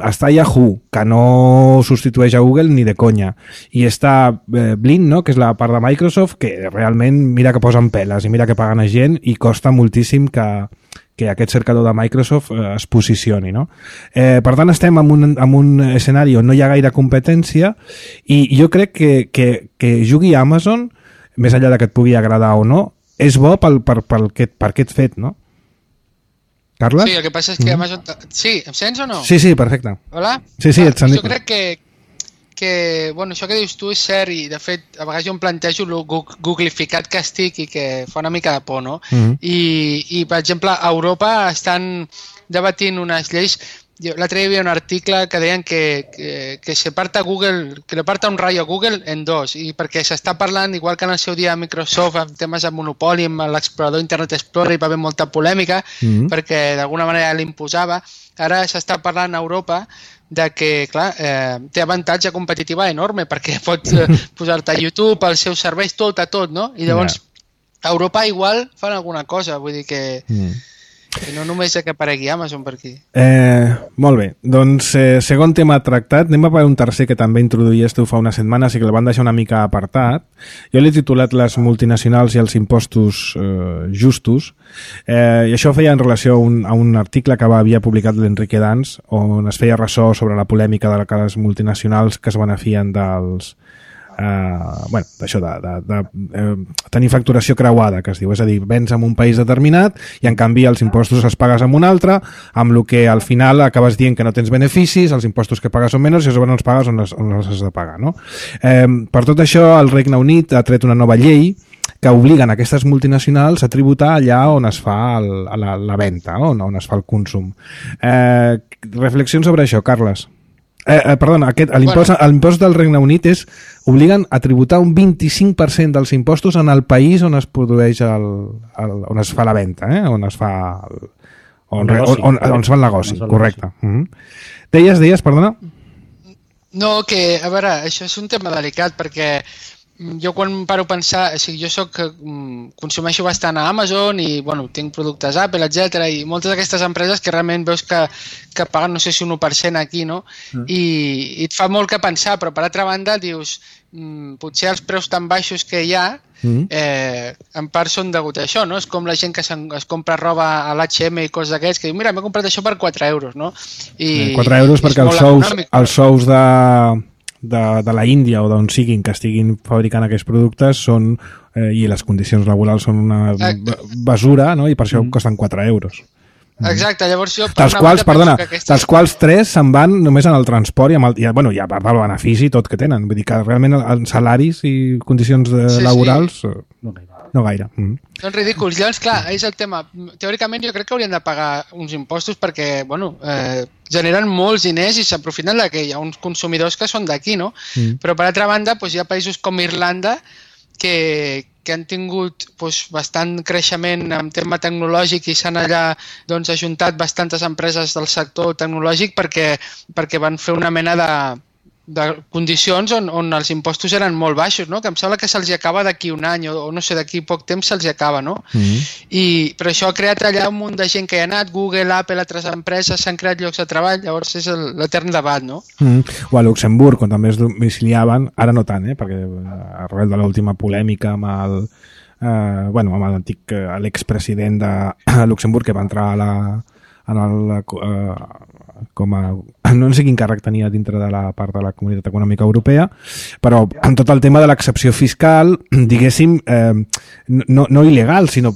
està Yahoo, que no substitueix a Google ni de conya, i està eh, Bing, no?, que és la part de Microsoft, que realment mira que posen peles i mira que paguen a gent i costa moltíssim que, que aquest cercador de Microsoft eh, es posicioni, no? Eh, per tant, estem en un, en un escenari on no hi ha gaire competència i jo crec que, que, que jugui a Amazon, més enllà de que et pugui agradar o no, és bo pel, per, per, per, per aquest fet, no? Carles? Sí, el que passa és que Amazon... Sí, em sents o no? Sí, sí, perfecte. Hola? Sí, sí, et sentim. Jo crec que, que, bueno, això que dius tu és cert i, de fet, a vegades jo em plantejo el googlificat que estic i que fa una mica de por, no? Mm-hmm. I, I, per exemple, a Europa estan debatint unes lleis... L'altre dia hi havia un article que deien que, que, que se parta Google, que le parta un rayo a Google en dos, i perquè s'està parlant, igual que en el seu dia a Microsoft, amb temes de monopoli, amb l'explorador Internet Explorer, hi va haver molta polèmica, mm-hmm. perquè d'alguna manera l'imposava. Ara s'està parlant a Europa de que, clar, eh, té avantatge competitiva enorme, perquè pots eh, posar-te a YouTube, als seus serveis, tot a tot, no? I llavors, yeah. a Europa igual fan alguna cosa, vull dir que... Mm. Que no només que aparegui Amazon per aquí. Eh, molt bé, doncs eh, segon tema tractat, anem a per un tercer que també introduïes tu fa unes setmanes i que el van deixar una mica apartat. Jo l'he titulat Les multinacionals i els impostos eh, justos, eh, i això feia en relació a un, a un article que va, havia publicat l'Enrique Dans, on es feia ressò sobre la polèmica de les multinacionals que es benefien dels... Uh, bueno, d'això de, de, de uh, tenir facturació creuada, que es diu, és a dir, vens en un país determinat i en canvi els impostos els pagues en un altre, amb el que al final acabes dient que no tens beneficis, els impostos que pagues són menys i llavors no els pagues on els, on els has de pagar, no? Eh, per tot això el Regne Unit ha tret una nova llei que obliguen aquestes multinacionals a tributar allà on es fa el, la, la venda, on, on es fa el consum. Eh, reflexions sobre això, Carles? Eh, eh, perdona, aquest, l'impost bueno. l'impost del Regne Unit és obliguen a tributar un vint-i-cinc per cent dels impostos en el país on es produeix el, el, on es fa la venda, eh? on es fa el, on, negoci, on, on, on es fa el negoci, correcte. Mm-hmm. Deies, deies, perdona? No, que, a veure, això és un tema delicat perquè jo quan paro a pensar, o sigui, jo soc, consumeixo bastant a Amazon i bueno, tinc productes Apple, etcètera, i moltes d'aquestes empreses que realment veus que, que paguen, no sé si un u per cent aquí, no? Mm. I, i et fa molt que pensar, però per altra banda dius, mm, potser els preus tan baixos que hi ha, mm. eh, en part són degut a això, no? És com la gent que es compra roba a l'H i ema i coses d'aquests, que diu, mira, m'he comprat això per quatre euros, no? I, quatre euros perquè els sous, els sous de... de, de la Índia o d'on siguin que estiguin fabricant aquests productes són, eh, i les condicions laborals són una basura, no? I per això mm. costen quatre euros. Exacte, llavors jo... Dels quals, perdona, aquestes... dels quals tres se'n van només en el transport i, amb el, i bueno, i a part del benefici tot que tenen. Vull dir que realment els salaris i condicions de, sí, laborals... Sí. No gaire. No gaire. Mm. Són ridículs. Llavors, clar, és el tema. Teòricament jo crec que haurien de pagar uns impostos perquè, bueno, eh, generen molts diners i s'aprofiten que hi ha uns consumidors que són d'aquí, no? Mm. Però per altra banda, doncs, hi ha països com Irlanda que, que han tingut doncs, bastant creixement en tema tecnològic i s'han allà doncs, ajuntat bastantes empreses del sector tecnològic perquè, perquè van fer una mena de, de condicions on, on els impostos eren molt baixos, no? Que em sembla que se'ls acaba d'aquí un any o, o no sé, d'aquí poc temps se'ls acaba, no? Mm-hmm. I, però això ha creat allà un munt de gent que hi ha anat, Google, Apple, altres empreses, s'han creat llocs de treball, llavors és l'etern debat, no? Mm-hmm. O a Luxemburg, quan també es domiciliaven, ara no tant, eh? Perquè arrel de l'última polèmica amb el... Eh, bueno, amb l'antic, l'expresident de Luxemburg que va entrar a la... En el, eh, com a, no sé quin càrrec tenia dintre de la part de la Comunitat Econòmica Europea, però en tot el tema de l'excepció fiscal, diguéssim, eh, no, no il·legal, sinó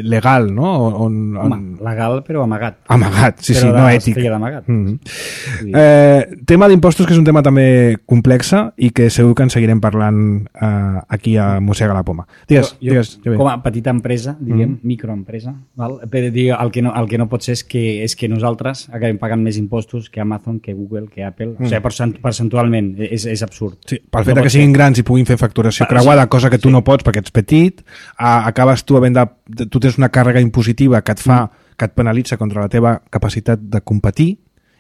legal, no? On, on... Home, legal però amagat. Amagat, sí, però sí, no ètic. Però d'amagat. Mm-hmm. Sí. Eh, tema d'impostos, que és un tema també complexa i que segur que en seguirem parlant eh, aquí a Mossega la Poma. Digues, jo, digues. Jo, com a petita empresa, diguem, mm-hmm. microempresa, val? Per dir, el, que no, el que no pot ser és que és que nosaltres acabem pagant més impostos que Amazon, que Google, que Apple, mm. o sigui, percentualment és, és absurd. Sí, pel fet no que siguin ser. Grans i puguin fer facturació creuada, cosa que tu sí. no pots perquè ets petit, a, acabes tu havent de... Tu tens una càrrega impositiva que et fa, mm. que et penalitza contra la teva capacitat de competir,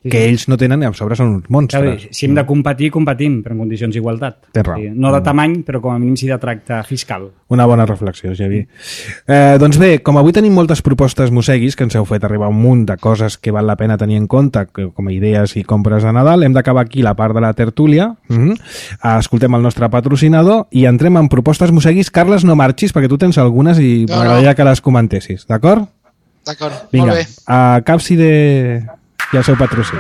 sí, que sí. ells no tenen i a sobre són uns monstres. Clar, si hem de competir, competim, però en condicions d'igualtat. Sí, no de tamany, però com a mínim sí de tracte fiscal. Una bona reflexió, Javi. Eh, doncs bé, com avui tenim moltes propostes mosseguis, que ens heu fet arribar un munt de coses que val la pena tenir en compte, que, com a idees i compres de Nadal, hem d'acabar aquí la part de la tertúlia, mm-hmm. escoltem el nostre patrocinador i entrem en propostes mosseguis. Carles, no marxis, perquè tu tens algunes i no, m'agradaria no. que les comentessis, d'acord? D'acord, molt bé. Vinga, a Capside... i el seu patrocini.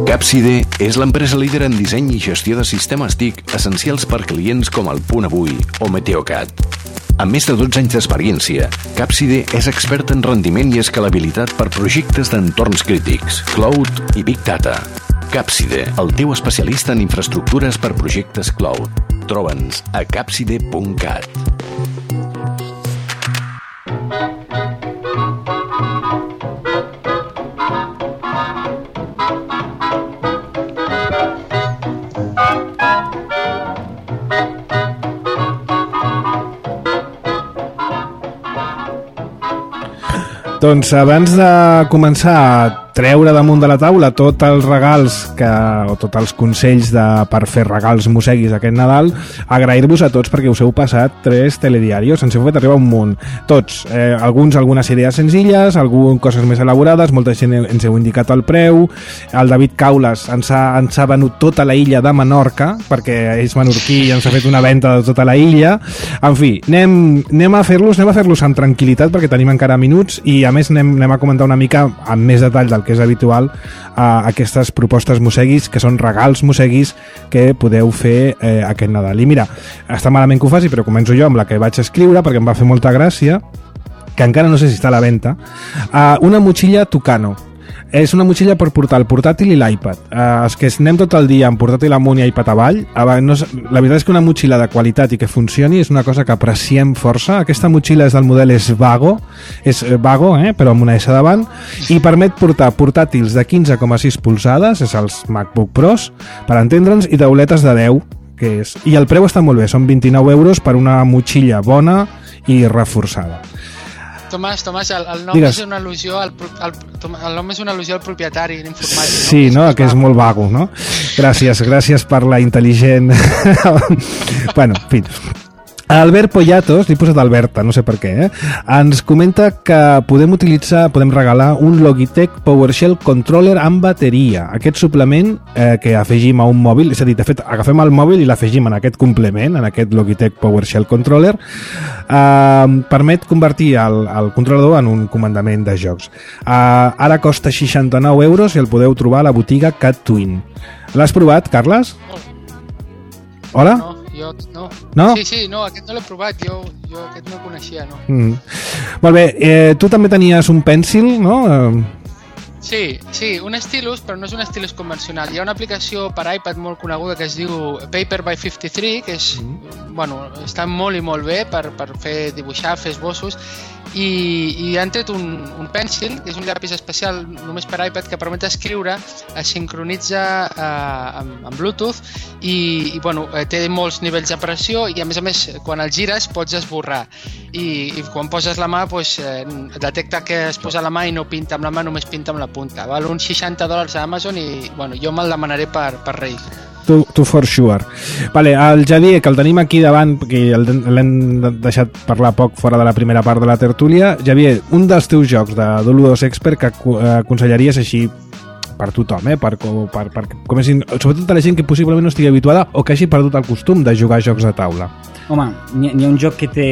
Capside és l'empresa líder en disseny i gestió de sistemes T I C essencials per clients com el Punt Avui o Meteocat. Amb més de dotze anys d'experiència, Capside és expert en rendiment i escalabilitat per projectes d'entorns crítics, cloud i big data. Capside, el teu especialista en infraestructures per projectes cloud. Troba'ns a capside punt cat. Doncs abans de començar a treure damunt de la taula tots els regals que, o tots els consells de, per fer regals mosseguis aquest Nadal, agrair-vos a tots perquè us heu passat tres telediarios, ens heu fet arribar un munt, tots, eh, alguns algunes idees senzilles, algunes coses més elaborades, molta gent ens heu indicat el preu, el David Caules ens ha, ens ha venut tota la illa de Menorca, perquè és menorquí i ens ha fet una venda de tota la illa. En fi, anem, anem a fer-los anem a fer-los amb tranquil·litat perquè tenim encara minuts i a més anem, anem a comentar una mica amb més detall del que és habitual a aquestes propostes mosseguis, que són regals mosseguis que podeu fer eh, aquest Nadal. I mira, està malament que ho faci, però començo jo amb la que vaig escriure perquè em va fer molta gràcia, que encara no sé si està a la venda, uh, una motxilla Tucano. És una motxilla per portar el portàtil i l'iPad. Eh, els que anem tot el dia amb portàtil amunt i iPad avall, eh, no, la veritat és que una motxilla de qualitat i que funcioni és una cosa que apreciem força. Aquesta motxilla és del model Svago, és Vago, eh, però amb una S davant, i permet portar portàtils de quinze coma sis polzades, és els MacBook Pros, per entendre'ns, i tauletes de deu, que és... I el preu està molt bé, són vint-i-nou euros per una motxilla bona i reforçada. Tomàs, Tomàs, el, el nom Digues. és una al·lusió al, al, el nom és una al·lusió al propietari informàtic. Sí, no? no? Que és molt vago, no? Gràcies, gràcies per la intel·ligent... bueno, en fi... Albert Poyatos, li he posat Alberta, no sé per què, eh? ens comenta que podem utilitzar, podem regalar un Logitech PowerShell Controller amb bateria. Aquest suplement eh, que afegim a un mòbil, és a dir, de fet, agafem el mòbil i l'afegim en aquest complement, en aquest Logitech PowerShell Controller, eh, permet convertir el, el controlador en un comandament de jocs. Eh, ara costa seixanta-nou euros i el podeu trobar a la botiga Cat Twin. L'has provat, Carles? Hola? No. Jo, no. no? Sí, sí, no, aquest no l'he provat, jo, jo aquest no el coneixia, no. Mm. Molt bé, eh, tu també tenies un pènsil, no? Sí, sí, un stylus, però no és un stylus convencional. Hi ha una aplicació per iPad molt coneguda que es diu Paper by cinquanta-tres, que és, mm. bueno, està molt i molt bé per, per fer dibuixar, fer esbossos, i, i han tret un, un pènsil, que és un llapis especial només per iPad, que permet escriure, es sincronitza eh, amb, amb Bluetooth i, i bueno, té molts nivells de pressió i a més a més quan el gires pots esborrar i, i quan poses la mà pues, eh, detecta que es posa la mà i no pinta amb la mà, només pinta amb la punta. Val uns seixanta dòlars a Amazon i bueno, jo me'l demanaré per, per Reis. Tu, tu for sure. Vale, el Javier, que el tenim aquí davant, perquè l'hem deixat parlar poc fora de la primera part de la tertúlia. Javier, un dels teus jocs de Doludos Expert que aconsellaries així per tothom, eh? per, per, per, comencin, sobretot a la gent que possiblement no estigui habituada o que hagi perdut el costum de jugar a jocs de taula. Home, n'hi ha un joc que té...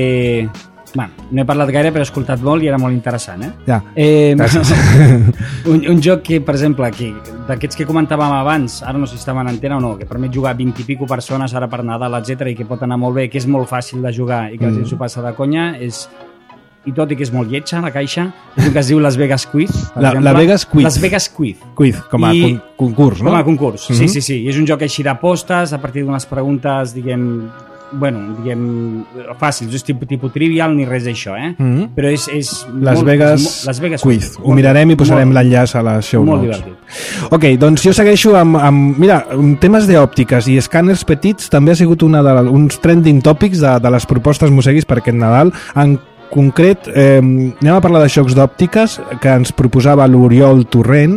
Bueno, no he parlat gaire, però he escoltat molt i era molt interessant, eh? Ja, eh, un, un joc que, per exemple, que, d'aquests que comentàvem abans, ara no sé si estava en antena o no, que permet jugar vint i pico persones ara per Nadal, etcètera, i que pot anar molt bé, que és molt fàcil de jugar i que la gent s'ho passa de conya, és... i tot i que és molt lletja, la caixa, és un que es diu Las Vegas Quiz. La, la Vegas Quiz. Las Vegas Quiz. Quiz, com a I, concurs, no? Com a concurs, mm-hmm. sí, sí, sí. I és un joc així d'apostes, a partir d'unes preguntes, diguem... bueno, diguem, fàcils, és tipus, tipus trivial ni res d'això, eh? Mm-hmm. Però és... és Las molt, Vegas, és, Las Vegas Quiz. Quiz. Ho mirarem i posarem l'enllaç a la show molt notes. Molt divertit. Ok, doncs jo segueixo amb... amb mira, temes d'òptiques i escàners petits també ha sigut una de la, uns trending topics de, de les propostes Moseguis per aquest Nadal. En concret, eh, anem a parlar de xocs d'òptiques que ens proposava l'Oriol Torrent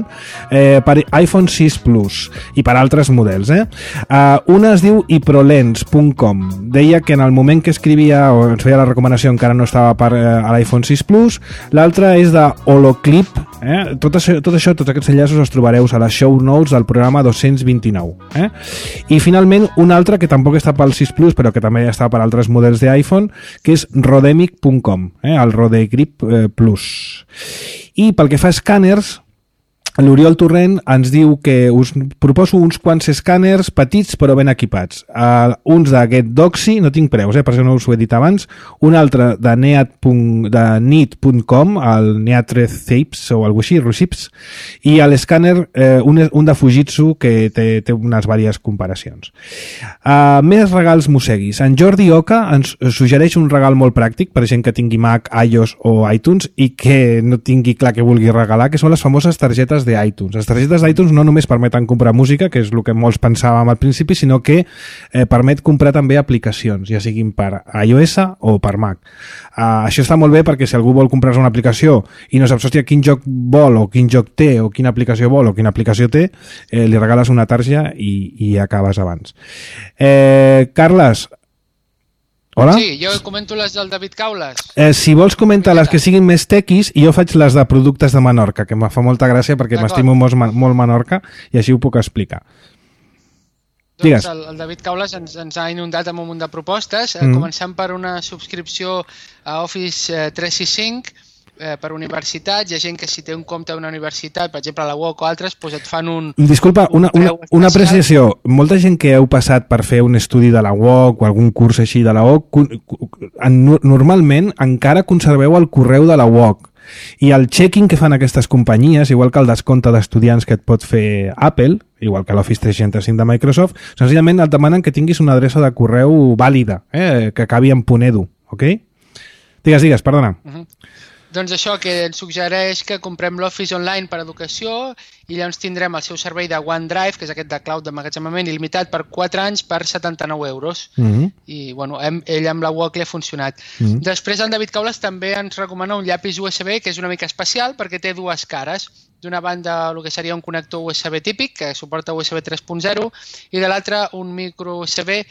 eh, per iPhone sis Plus i per altres models. Eh? Uh, una es diu iprolens punt com. Deia que en el moment que escrivia o ens feia la recomanació encara no estava per, eh, a l'iPhone sis Plus. L'altra és de Holoclip. Eh? Tot, això, tot això, tots aquests enllaços els trobareu a les show notes del programa dos-cents vint-i-nou. Eh? I finalment un altre que tampoc està pel sis Plus però que també està per altres models d'iPhone, que és rodemic punt com. Eh, el Rodegrip eh, Plus. I pel que fa a escàners, l'Oriol Torrent ens diu que us proposo uns quants escàners petits però ben equipats. Uh, uns d'aquest Doxy, no tinc preus, eh, per això no us ho he dit abans, un altre de Neat punt com, el Neatrezapes o alguna així, Rusips, i l'escàner, eh, un, un de Fujitsu que té, té unes vàries comparacions. Uh, més regals Moseguis. En Jordi Oca ens suggereix un regal molt pràctic per gent que tingui Mac, iOS o iTunes i que no tingui clar que vulgui regalar, que són les famoses targetes d'iTunes. Les targetes d'iTunes no només permeten comprar música, que és el que molts pensàvem al principi, sinó que eh, permet comprar també aplicacions, ja siguin per iOS o per Mac. Uh, això està molt bé perquè si algú vol comprar una aplicació i no saps, hòstia, quin joc vol o quin joc té o quina aplicació vol o quina aplicació té, eh, li regales una tarja i, i acabes abans. Eh, Carles, hola? Sí, jo comento les del David Caules. Eh, si vols comentar les que siguin més tequis i jo faig les de productes de Menorca, que em fa molta gràcia perquè m'estimo molt, molt Menorca i així ho puc explicar. Doncs Digues. El, el David Caules ens, ens ha inundat amb un munt de propostes, mm. començant per una subscripció a Office tres sis cinc eh, per universitats. Hi ha gent que si té un compte a una universitat, per exemple a la U O C o altres, doncs et fan un... Disculpa, una, una, una apreciació. Molta gent que heu passat per fer un estudi de la U O C o algun curs així de la U O C, normalment encara conserveu el correu de la U O C. I el checking que fan aquestes companyies, igual que el descompte d'estudiants que et pot fer Apple, igual que l'Office tres cents seixanta-cinc de Microsoft, senzillament et demanen que tinguis una adreça de correu vàlida, eh, que acabi en .edu, ok? Digues, digues, perdona. Uh-huh. Doncs això, que ens suggereix que comprem l'Office Online per educació i llavors tindrem el seu servei de OneDrive, que és aquest de cloud d'emmagatzemament il·limitat per quatre anys per setanta-nou euros. Uh-huh. I, bueno, hem, ell amb la Walkly ha funcionat. Uh-huh. Després, el David Caules també ens recomana un llapis U S B, que és una mica especial perquè té dues cares. D'una banda, el que seria un connector U S B típic, que suporta U S B tres punt zero, i de l'altra, un micro U S B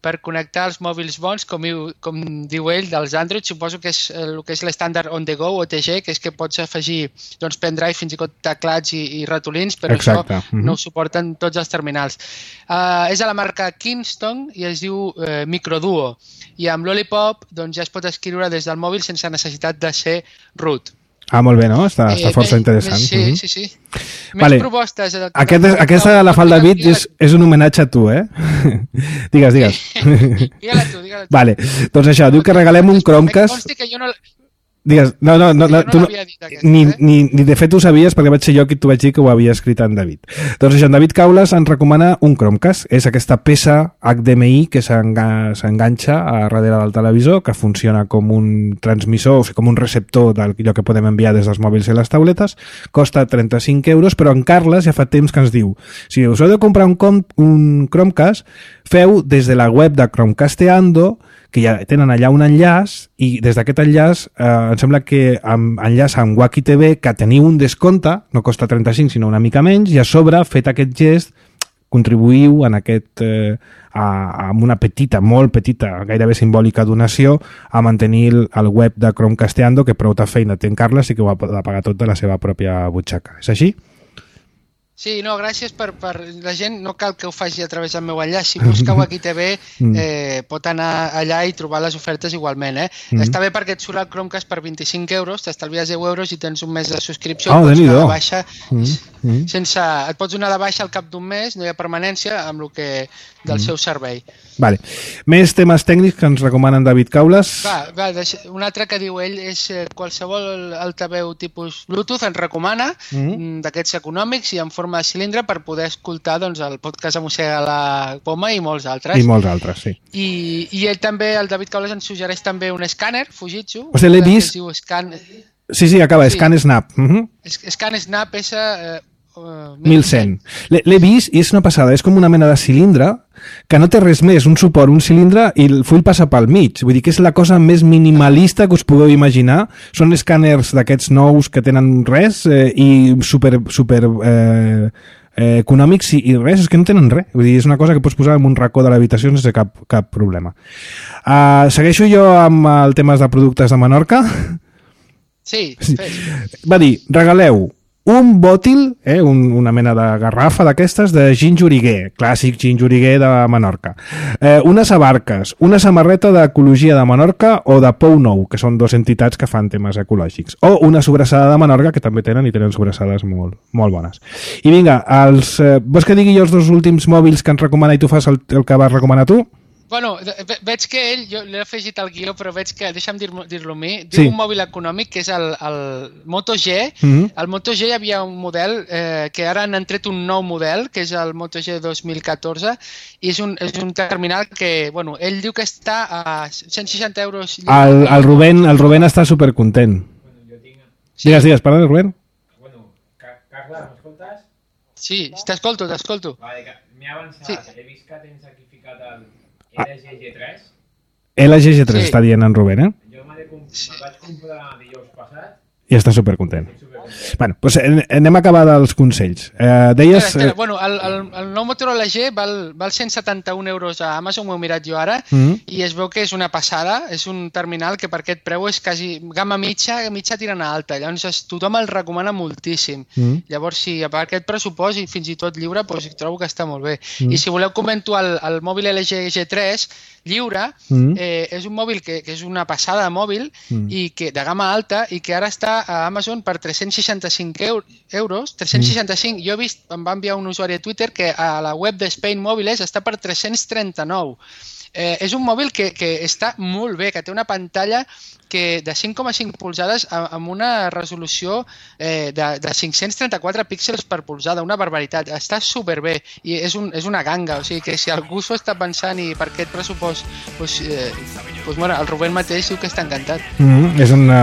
per connectar els mòbils bons, com, com diu ell, dels Android. Suposo que és el que és l'estàndard On The Go, O T G, que és que pots afegir doncs, pendrive, fins i tot teclats i, i ratolins, però Exacte. Això mm-hmm. no ho suporten tots els terminals. Uh, és a la marca Kingston i es diu uh, Microduo. I amb Lollipop doncs, ja es pot escriure des del mòbil sense necessitat de ser root. Ah, molt bé, no? Està, està força eh, interessant. Sí, mm-hmm. sí, sí. Més vale. propostes. Aquest, aquesta la fa el David i és, és un homenatge a tu, eh? digues, digues. Digue-la tu, digue-la tu. Vale, doncs això, diu que regalem un Chromecast... Consti que jo no... Digues, no, no, no, no, no tu no aquesta, ni, eh? ni, ni de fet ho sabies perquè vaig ser jo qui t'ho vaig dir que ho havia escrit en David. Doncs això, en David Caules ens recomana un Chromecast. És aquesta peça H D M I que s'enganxa a darrere del televisor, que funciona com un transmissor, o sigui, com un receptor d'allò que podem enviar des dels mòbils i les tauletes. Costa trenta-cinc euros, però en Carles ja fa temps que ens diu: si us heu de comprar un, com, un Chromecast, feu des de la web de Chromecasteando, que ja tenen allà un enllaç, i des d'aquest enllaç eh, em sembla que amb, enllaç amb Wacky T V, que teniu un descompte, no costa trenta-cinc sinó una mica menys, i a sobre, fet aquest gest, contribuïu en aquest, eh, a, amb una petita, molt petita, gairebé simbòlica donació a mantenir el, el web de Chromecasteando, que prou de feina té en Carles i que ho ha de pagar tot de la seva pròpia butxaca. És així? Sí, no, gràcies per, per... La gent no cal que ho faci a través del meu enllaç. Si busca Wacky T V, eh, pot anar allà i trobar les ofertes igualment. Eh? Mm. Està bé perquè et surt el Chromecast per vint-i-cinc euros, t'estalvies deu euros i tens un mes de subscripció. Oh, pots anar de de baixa, mm. sense... Et pots donar de baixa al cap d'un mes, no hi ha permanència, amb el que del mm. seu servei. Vale. Més temes tècnics que ens recomanen David Caules. Va, va, un altre que diu ell és eh, qualsevol altaveu tipus Bluetooth ens recomana, mm. d'aquests econòmics i en forma de cilindre per poder escoltar doncs, el podcast de Mossega la Poma i molts altres. I molts altres, sí. I, i ell també, el David Caules, ens suggereix també un escàner Fujitsu. O sigui, l'he vist... Scan... Sí, sí, acaba, sí. Scan Snap. Uh-huh. Scan Snap S... Eh, Uh, mil cent. L'he vist i és una passada, és com una mena de cilindre que no té res més, un suport, un cilindre i el full passa pel mig, vull dir que és la cosa més minimalista que us pugueu imaginar. Són escàners d'aquests nous que tenen res eh, i super, super eh, eh, econòmics i, i res, és que no tenen res, vull dir, és una cosa que pots posar en un racó de l'habitació sense cap, cap problema. Uh, segueixo jo amb el temes de productes de Menorca. Sí, fes. Va dir, regaleu un bòtil, eh, un, una mena de garrafa d'aquestes de gingeriguer, clàssic gingeriguer de Menorca, eh, unes abarques, una samarreta d'ecologia de Menorca o de Pou Nou, que són dues entitats que fan temes ecològics, o una sobrassada de Menorca, que també tenen i tenen sobrassades molt, molt bones. I vinga, els, eh, vols que digui jo els dos últims mòbils que ens recomana i tu fas el, el que vas recomanar tu? Bueno, ve veig que ell, jo l'he afegit al guió, però veig que, deixa'm dir-lo dir a mi, diu sí. un mòbil econòmic que és el, el Moto G. Mm-hmm. El Moto G hi havia un model eh, que ara han tret un nou model, que és el Moto G dos mil catorze, i és un, és un terminal que, bueno, ell diu que està a cent seixanta euros. El, el, Rubén, el Rubén està supercontent. Bueno, jo tinc... Sí. Digues, digues, perdona, Rubén. Bueno, Carles, m'escoltes? Sí, t'escolto, t'escolto. Vale, m'he avançat, sí. He vist que tens aquí ficat el L G G tres. L G G tres sí. Està dient en Rubén, eh? Jo me vaig comprar dijous passat. I està supercontent. Bueno, doncs anem a acabar dels consells. Eh, deies... Espera, espera. Bueno, el, el, el nou Motorola G val, val cent setanta-un euros a Amazon, ho he mirat jo ara, mm-hmm. i es veu que és una passada, és un terminal que per aquest preu és quasi gamma mitja, mitja tirant a alta, llavors es, tothom el recomana moltíssim. Mm-hmm. Llavors, si a part aquest pressupost i fins i tot lliure, doncs trobo que està molt bé. Mm-hmm. I si voleu comento el, el mòbil L G G tres, lliure, mm-hmm. eh, és un mòbil que, que és una passada de mòbil mm-hmm. i que de gamma alta i que ara està a Amazon per tres-cents seixanta-cinc euros, tres-cents seixanta-cinc, jo he vist, em va enviar un usuari a Twitter que a la web de Spain Mòbiles està per tres-cents trenta-nou. Eh, és un mòbil que, que està molt bé, que té una pantalla que de cinc coma cinc polzades amb una resolució eh, de, de cinc-cents trenta-quatre píxels per polzada, una barbaritat. Està superbé i és, un, és una ganga, o sigui que si algú s'ho està pensant i per aquest pressupost, doncs, eh, doncs, bueno, el Rubén mateix diu que està encantat. Mm, és una...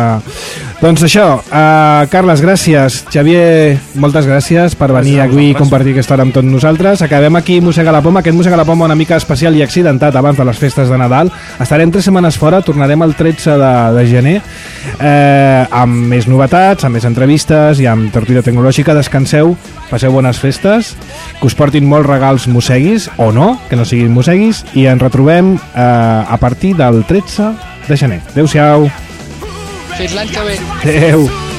Doncs això, uh, Carles, gràcies. Xavier, moltes gràcies per venir avui i compartir aquesta hora amb tots nosaltres. Acabem aquí Mossega la Poma, aquest Mossega la Poma una mica especial i accidentat abans de les festes de Nadal. Estarem tres setmanes fora, tornarem el tretze de, de gener eh, amb més novetats, amb més entrevistes i amb tertúlia tecnològica. Descanseu, passeu bones festes, que us portin molts regals mosseguis, o no, que no siguin mosseguis, i ens retrobem eh, a partir del tretze de gener. Adéu-siau. Fins l'any que ve. Adéu.